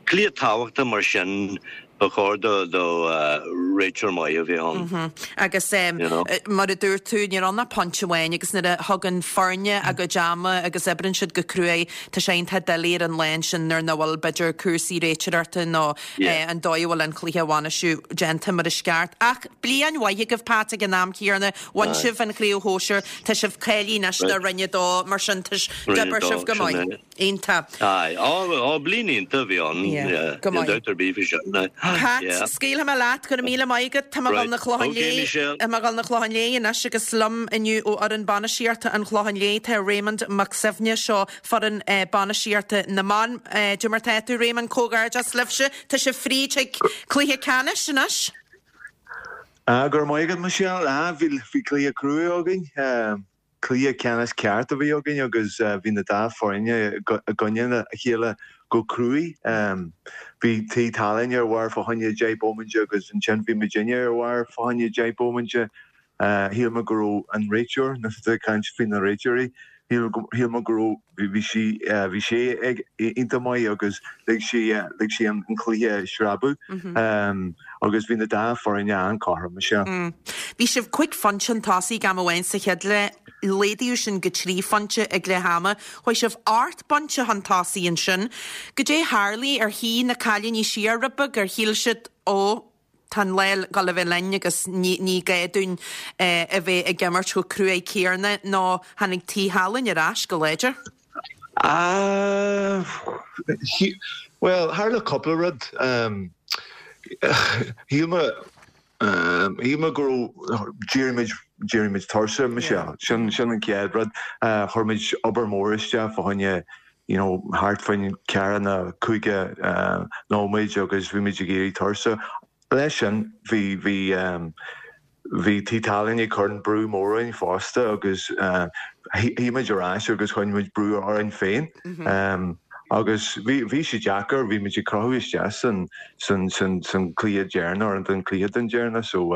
cluiche tábhachtach mar sin, Ba chóir do réiteoir maith a bheith ann. Agus mar a dúirt tú, ní raibh ann ach pointe amháin agus nuair a thugann foirne a gcuid ama agus oibríonn siad go cruaidh, tá sé iontach doiligh ar an lá ansin nuair nach bhfuil b'fhéidir cúrsaí réiteoireachta nó an dóigh a bhfuil an cluiche a bhainistiú déanta mar is ceart. Ach bliain mhaith agaibh Pat ag an am céanna, bhain sibh an chraobh shóisir, tá sibh cáilithe anois do Roinn a Dó, mar sin d'oibir sibh go maith. Iontach. Aye. Ó, ó, bliain iontach a bhí ann. Yeah. Go Níl maith. dabht ar bith faoi sin. Aye. Pat, Yeah. scaoilfidh mé leat, go raibh míle maith agat. Tá mé ag Right. dul 'na Clochán Okay, Léith. Michelle. Tá mé ag dul 'na Clochán Léith anois agus liom inniu ó fhoireann bainistíochta an Chlocháin Léith tá Raymond Mac Suibhne, seo foireann eh, bainistíochta na mban. Eh, Cad é mar tá tú Raymond, comhghairdeas libhse. Tá sibh fríd chuig cluiche ceannais anois. Ah, go raibh maith agat, Michelle. Ah, bhí bhí cluiche crua againn. Um, Cluiche ceannais ceart a bhí againn agus bhí na dá foirne i gcoinne a chéile go cruaidh. Bhí Tigh Tallaine ar bharr fá choinne deich bomainte agus ansin bhí muidinne ar bharr fá choinne deich bomainte. Shíl mé go raibh an réiteoir, nuair atá ag caint faoi na réiteoirí, shíl mé go raibh, bhí sí, bhí sé ag iontach maith agus lig sí, lig sí an cluiche sreabhadh agus bhí na dá foirne an-chothrom, sea. Bhí sibh cúig phointe chun tosaigh ag am amháin sa chéad leath, laghdaíodh sin go trí phointe ag leath ama. Chuaigh sibh ocht bpointe chun tosaigh ansin. Goidé tharlaigh? Ar shuigh na cailíní siar rud beag? Ar shíl siad, ó, tá an lá ag dul a bheith linn agus ní ní gá dúinn a bheith ag imirt chomh cruaidh céanna nó tháinig Tigh Thallainn ar ais go láidir? Ah, well, tharla cúpla rud. Shíl mé shíl mé go raibh d'éirigh muid d'éirigh muid tuirseach, Michelle. Sin sin an chéad rud. Chuir muid obair mhór isteach fá choinne you know, thart faoin ceathracha nó caoga nóiméid agus bhí muid ag éirí tuirseach. Leis sin bhí bhí bhí Tigh Tailteann ag cur an brú mór orainn fosta agus shuigh muid ar ais agus chuir muid brú orainn féin. Agus bhí bhí sé deacair, bhí muid ag crochadh isteach san san san san cluiche deireanach ar an cluiche den deireanach so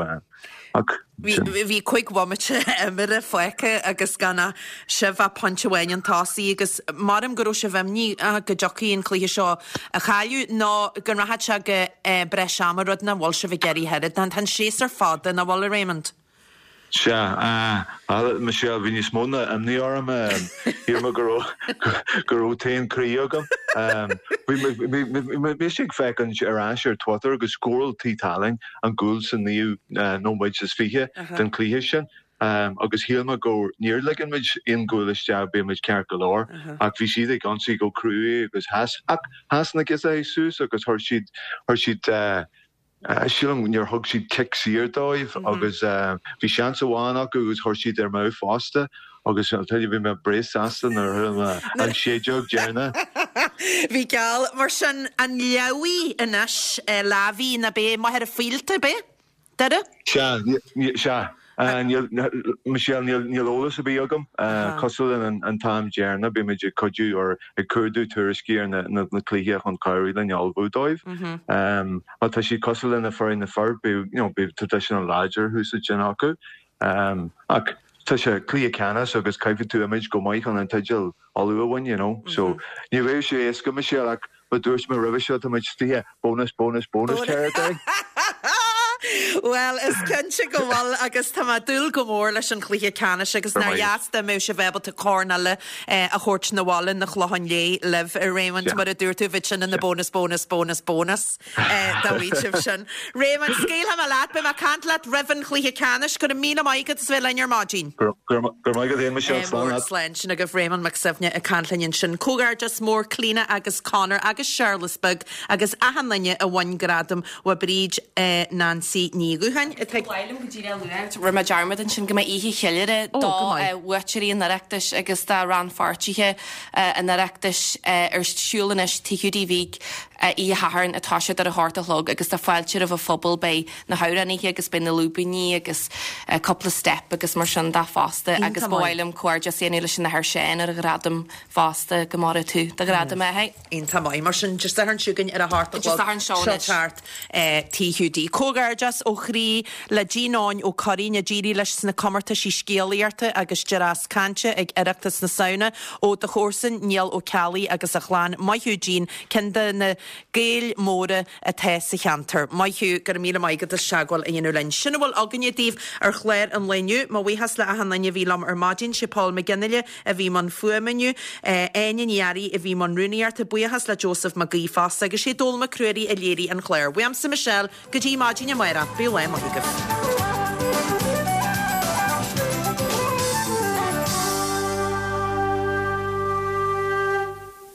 ach Bhí bhí cúig bhomaite imeartha fágtha agus gan ach sibh ach pointe amháin chun tosaigh agus maram go raibh sibh imníoch go dtiocfaidh an cluiche seo a chailleadh nó go rachadh sé go breis ama rud nach bhfuil sibh ag iarraidh oiread. Tá an séasúr fada nach bhfuil a Raymond? Sea, Michelle, bhí níos mó ná imní orm. Shíl mé go raibh go raibh taom croí agam. Bhí mise ag féachaint ar ais ar Twitter agus scóráil Tigh Tailteann an gcúl sa naoú nóiméad is fiche den chluiche sin. Agus shíl mé go níor ligean muid aon gcúl isteach bhí muid ceart go leor ach bhí siad ag ionsaí go cruaidh agus sheas ach sheas na giosóirí suas agus chuir siad chuir siad Sílim níor thug siad cic saor dóibh agus bhí seans amháin acu agus chuir siad ar amú fosta agus bhí mé breá sásta nuair a an séideog deireanach. Bhí geall mar sin an Leamhaigh anois Lavey na bé Machaire Fíolta bé? Doire? Sea, sea. Michelle níl eolas ar bith agam cosúil an an t-am deireanach bhí muid ag cuidiú ar ag cuardú tuairiscí ar na na cluiche chun cabhrú linn ullmhú dóibh. Má tá siad cosúil lena foireann na fir you know bhí traidisiún láidir thuas ansin acu. Ach tá sé cluiche ceannais agus caithfidh tú imirt go maith chun an teideal Uladh a bhain, you know. So ní bheidh sé éasca Michelle ach ba dúirt mé roimhe seo tá muid istigh bonus bonus bonus territory. Well, is cinnte go bhfuil agus tá mé ag dúil go mór leis an chluiche ceannais agus nár dheas dá mbeadh sibh ábalta corn eile a thabhairt na bhaile na Clocháin Léith libh a Raymond mar a dúirt tú bheadh sin ina bonus bonus bonus bonus dá bhfaigheadh sibh sin. Raymond, scaoilfidh mé leat, beidh mé ag caint leat roimh an chluiche ceannais go raibh míle maith agat as bheith linn ar maidin. Go raibh maith agat Michelle slán leat. Slán sin agaibh Raymond Mac Suibhne ag caint linn ansin. Comhghairdeas mór Clíona agus Conor agus Séarlas Beag agus achan duine a bhain gradam ó Bríd Nancy Ní Dhúcháin atá Ba mhaith liom go díreach a lua, rinne mé dearmad ansin go mbeidh oíche cheiliúrtha Ó, do go maith. bhuaiteoirí an Oireachtais agus do rannpháirtithe an Oireachtais ar siúl anois Tigh Hiúdaí Bhig oíche Shathairn atá siad ar a hocht a chlog agus tá fáilte roimh an phobal beidh na hamhránaithe agus beidh na lúibíní agus cúpla step agus mar sin de fosta agus Iontach ba maith. mhaith liom comhghairdeas a dhéanamh leis an Athair Seán ar a ghradam fosta go maire tú do ghradam é hé. Iontach maith mar sin Dé Sathairn seo chugainn ar a hocht a Dé chlog Sathairn seo seo anois. thart Tigh Hiúdaí. Comhghairdeas ó chroí le Jean Eoin Ó Curraoin a d'éirigh leis sna comórtaisí scéalaíochta agus dreas cainte ag Oireachtas na Samhna ó do chomharsan Niall Ó Ceallaigh agus a chlann Maith thú Jean ceann de na Gaeil mhóra atá sa cheantar. Maith thú go raibh míle maith agat as teagmháil a dhéanamh linn. Sin a bhfuil againne daoibh ar chlár an lae inniu, mo bhuíochas le achan duine a bhí liom ar maidin sé Paul McGinley a bhí i mbun fuaime inniu, Áine Ní Fhearraigh a bhí i mbun rúnaíochta, buíochas le Joseph Mac Aoidh fosta agus sé Dónall Mac Ruairí a léirigh an clár. Uaimse Michelle go dtí maidin amárach, bíodh lá maith agaibh.